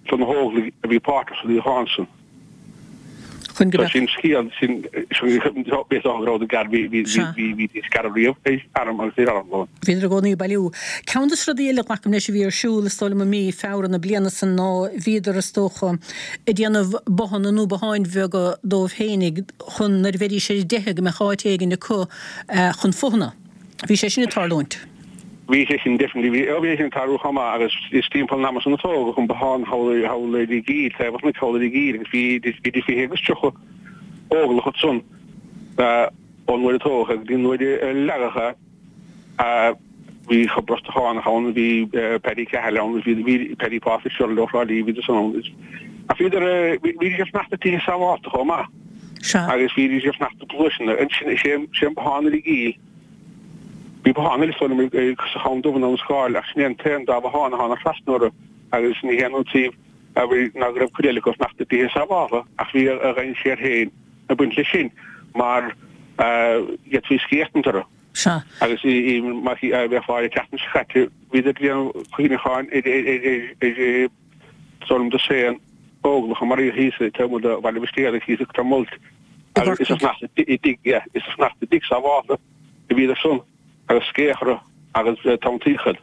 do na hÓglaigh a bhí páirteach sa luíochán san. Chun go mbeadh. Sin scéal, sin, b'é is dócha go rabhadar gar, bhí, bhí, bhí, bhí scaradh riamh ar arm agus ar armlón. Bhíodar i gcónaí ag bailiú. Ceann de na rudaí eile, glacaim leis, a bhí ar siúl, is dóigh liom, i mí Feabhra na bliana san ná bhíodar, is dócha, ag déanamh bothanna nó botháin bheaga dóibh fhéinig chun nuair a bheidís ar a dteitheadh go mbeadh áit éigin acu chun fothana. Bhí sé sin ag tarlúint. Bhí sé sin definitely, bhí, bhí sé sin ag tarlú chomh maith agus is timpeall an ama san a tógadh an bothán thall thall ar an gCill, taobh an chnoic thall ar an gCill agus bhí idir 20 agus 30 Óglach ansan ón uair a tógadh é go dtí an uair a leagadh é. Bhí an Brosnachánach ann, bhí Paddy Cahill ann, bhí bhí Paddy Pa Fitzgerald ó Thrá Lí, bhíodar san ann. Ach bhíodar, bhídís ag fanacht i dtithe sábhálta chomh maith. Sea. Agus bhídís ag fanacht i bpluaiseanna. Ansin, sé sé an bothán ar an gCill. Bhí bothán eile is dóigh liom sa Chabhán Dubh i nDún Scáil ach sin é an t-aon dá bhothán atá trasna orthu agus ní haon iontaoibh ná go raibh cuid eile acu ag fanacht i dtithe sábhálta ach bhí a dhainséar féin ag baint leis sin mar d'fhéadfaí sceachtaint orthu. Sea. Agus mar a bheifeá an tseachtain seo caite, bhíodar ag déanamh cuimhneacháin ar is dóigh liom dosaen óglach a maraíodh thíos taobh amuigh de Bhaile Bhistéalaigh thíos i Clonmult agus is ag fanacht i dtigh, yeah, is ag fanacht i dtigh sábhálta a bhíodar san agus sceach orthu agus tonntaíocha.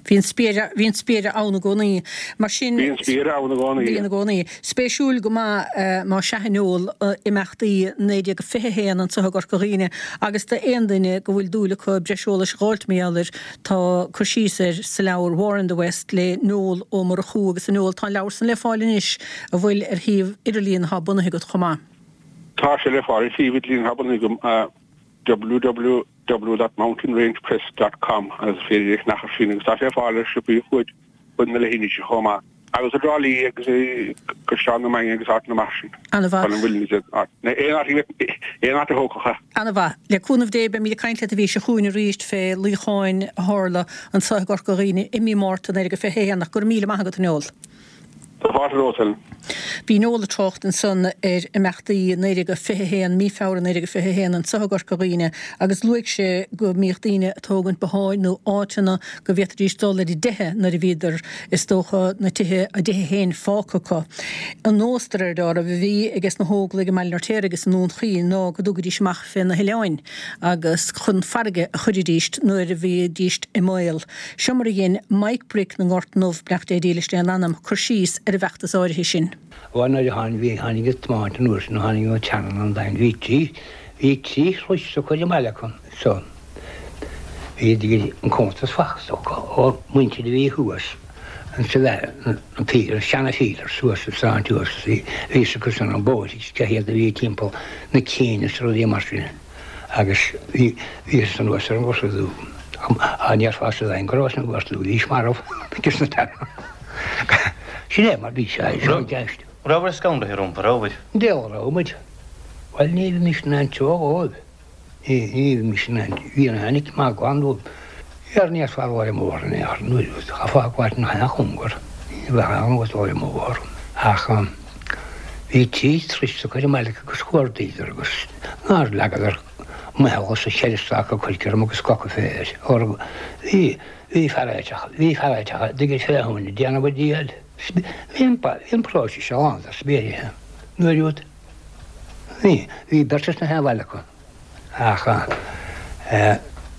Bhí an spiaire, bhí an spiaire ann i gcónaí. Mar sin. Bhí an spiaire ann i gcónaí. Bhí i gcónaí. Spéisiúil go maith, más ea, a Noel, imeachtaí 1921 anseo i gCorca Dhuibhne agus d'aon duine go bhfuil dúil acu breis eolais a dh'fháilt mar gheall air, tá cur síos air sa leabhar War in the West le Noel Ó Murchú agus a Noel, tá an leabhar san le fáil anois, an bhfuil, ar shuíomh idirlíon atá bunaithe agat chomh maith. Tá sé le fáil ar shuíomh idirlíon atá bunaithe agam, www. www.mountainrangepress dot com agus is féidir é a cheannach ar sin agus tá sé ar fáil ar siopaí fuaid fud na leithinise chomh maith. Agus i dTrá Lí agus i gCaisleán na Mainge agus áiteanna mar sin. Ana-mhaith. Baile an Mhuilinn is aon áit aon áit a thógfadh é. Ana-mhaith. Le cúnamh Dé beimid ag caint leat an mhí seo chugainn arís fé luíocháin a tharla anseo i gCorca Dhuibhne i mí Márta 1921 ach go raibh míle maith agat a Noel. Tá fáilte romhat, Helen. Bhí Noel ag trácht ansan ar imeachtaí 1921, mí Feabhra 1921, anseo i gCorca Dhuibhne agus luaigh sé go mbíodh daoine ag tógaint botháin nó áiteanna go bhféadfaidís dul ar a dteitheadh nuair a bhíodar, is dócha, na tithe, a dtithe féin fágtha acu. An nós, de réir dealraimh, a bhí ages na hÓglaigh i mBaile an Fheirtéaraigh agus i nDún Chaoin ná go dtugaidís amach fé na hoileáin agus chun farraige a chuiridís nuair a bhídís i mbaol. Seo mar a dhein Mike Brick na nGort nDubh, beannacht Dé dílis lena anam, cur síos ar an bhfeachtas áirithe sin. Bhuel nuair a tháinig, bhí, tháinig an tiomáint an uair sin, tháinig an tseanann an dain, bhí trí, bhí trí shluais acu ar an mbaile acu so bhí an cuntas fachta acu ó mhuintir a bhí thuas an sa bheith, an pílear, seana phílear suas sa sráid thuas, bhí fhios acu san an bóithre cé hiad a bhí timpeall na cinn is rudaí mar sin. Agus bhí, bhíothas anuas ar an Ghorta Dubh. Á ndéarfá sa Daingean go rabhas an Ghorta Dubh, bhís marbh agus na teanga. Sin é mar bhí sé, seo an ceist. Rabhabhair scanraithe rompu, rabhabhair? Diabhal a raibh muid. Bhuel, ní bheimis in ann treo dhóibh. Ní, ní bheimis in ann, bhí an aithne maith glan dóibh. Ar ndéarfá dul ar an mbóthar in aon chor, nuair a chaithfeá fágáilt nach aon chóngar, ní bheadh aon nós dul ar an mbóthar. Ach bhí trí turais acu ar an mbaile agus chuardaíodar agus nár leagadar meitheal sa cheithre stáca coirce orm agus coca féir. Bhí, bhí fear aiteach, bhí fear aiteach a d'fhig féachaint ag déanamh a dícheall. Bhí an, bhí an próiseas seo lán de spiairithe. Nuair úd, bhí, bhí beirt as na haon bhaile acu. Ach,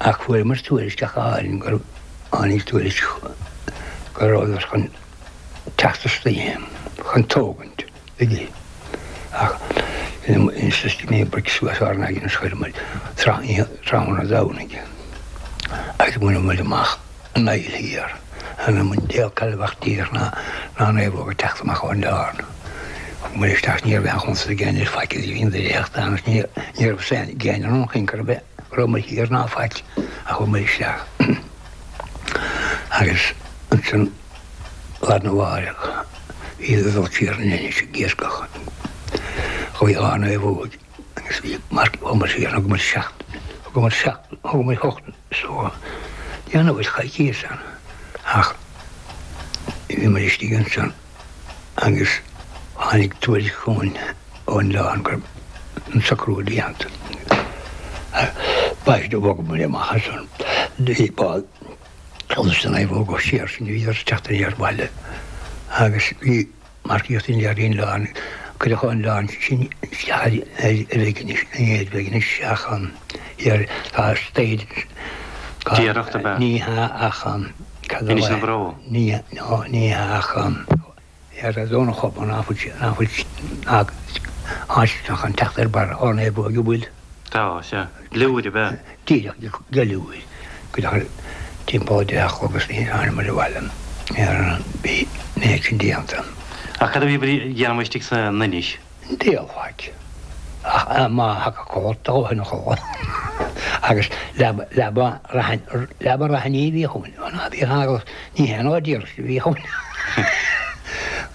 ach fuaireamar tuairisc ach áirithe gur tháinig tuairisc go rabhadar chun teacht istoíche chun tógaint, tuige. Ach. Bhí bric suas RnaG agus chuir muid tráthnóna Domhnaigh agus bhain muid amach an aill thiar. An muid déag cad a bheadh díreach ná ná naomhóg ag teacht amach ón oileán. Thug muid isteach ní raibh aon chuntas ag éinne ar faic a bhí an dréacht ann agus ní raibh fhios ag éinne an chor ar bith go raibh muid thiar ná faic ach chuaigh muid isteach agus ansin Lá arna mháireach bhíodar ag dul siar an Inis ag iascach. Chuaigh dhá naomhóig agus bhí marc chuamar siar thug muid seacht thug muid seacht thug muid hocht so déanamh muid coicíos ann ach bhí muid istigh ansan agus tháinig tuairisc chugainn ón oileán go raibh an socrú déanta. B'aisteach bhog muid amach ansan. Bhí bád Agus an naomhóg siar sin bhíodar ag teacht aniar abhaile agus bhí marcaíocht in ar an oileán, cuireadh an oileán sin isteach ar Mheiginis, an fhéad Mheiginis ach thiar tá staid Déireacht ab ea? Ní hea ach cad a Inis na Bró? Ní ní hea ach ar Dhomhnach Chobann ná fuil ná fuil áit chun teacht ar barr ár naomhóige an bhfuil? Tá, sea. Gliúir ab ea? Díreach, gliúir. Go deimhin timpeall 10 a chlog agus ní tháinig muid abhaile ar an bhí méid sin déanta. Ach cad a bhí a dhéanamh istigh san Inis? Diabhal faic. Ach má thagadh codlata ó shin a chodladh. Agus leaba, leaba raithin, leaba raithiní a bhí chugainn. Ó ná bíodh eagla, ní haon áit iarracht a bhí chugainn.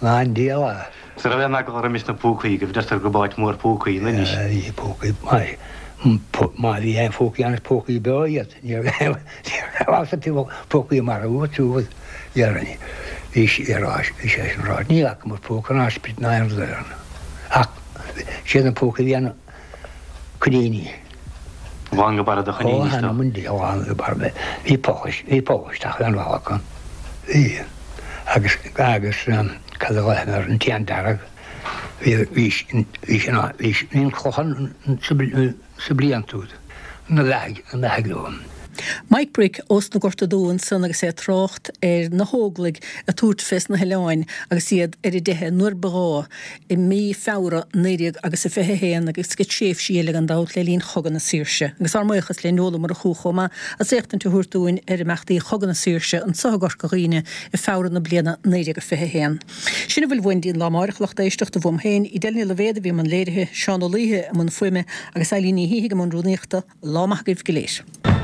Ná an diabhal a. Is raibh aon eagla roimis na púcaí, go deirtear go b'áit mhór púcaí an Inis. Bhí púcaí, má bhí aon phúcaí ann is púcaí beo iad. Ní raibh aon phúcaí marbh acu. Dhéarfainn. Bhí sé ar ais, bhí sé sin ráite. Ní fhacamar púca ná sprid ná aon rud eile ann. Ach siad na púcaí a bhí ann coiníní. Lán go barra de choiníní is dócha. Ó, th'anam 'on diabhal, lán go barra. Bhí poll, bhí poll isteach ar an bhalla acu. Bhí. Agus, agus cad a ghlaofar air, an t-éan dearg. Bhí, bhí, bhí sin ann, bhí, bhí an clochán sa, sa blianta úd, na leathaigh, na leathaigh leo. Mike Brick ós na Gorta Dubha ansan agus é ag trácht ar na hÓglaigh ag tabhairt fés na hoileáin agus iad ar a dteitheadh nuair ba ghá i mí Feabhra 19 agus a 21 agus ag tréimhsí eile gan dabht le linn Chogadh na Saoirse. Agus ár mbuíochas le Noel Ó Murchú chomh maith as éachtaint a thabhairt dúinn ar imeachtaí Chogadh na Saoirse anso i gCorca Dhuibhne i Feabhra na bliana 1921. Sin a bhfuil uainn go dtí an lá amáireach, a lucht éisteachta, uaim féin, Edel Ní Loibhéad a bhí i mbun léirithe, Seán Ó Laoithe i mbun fuaime agus Eilín Ní Shíthigh i mbun rúnaíochta. Lá maith agaibh go léir.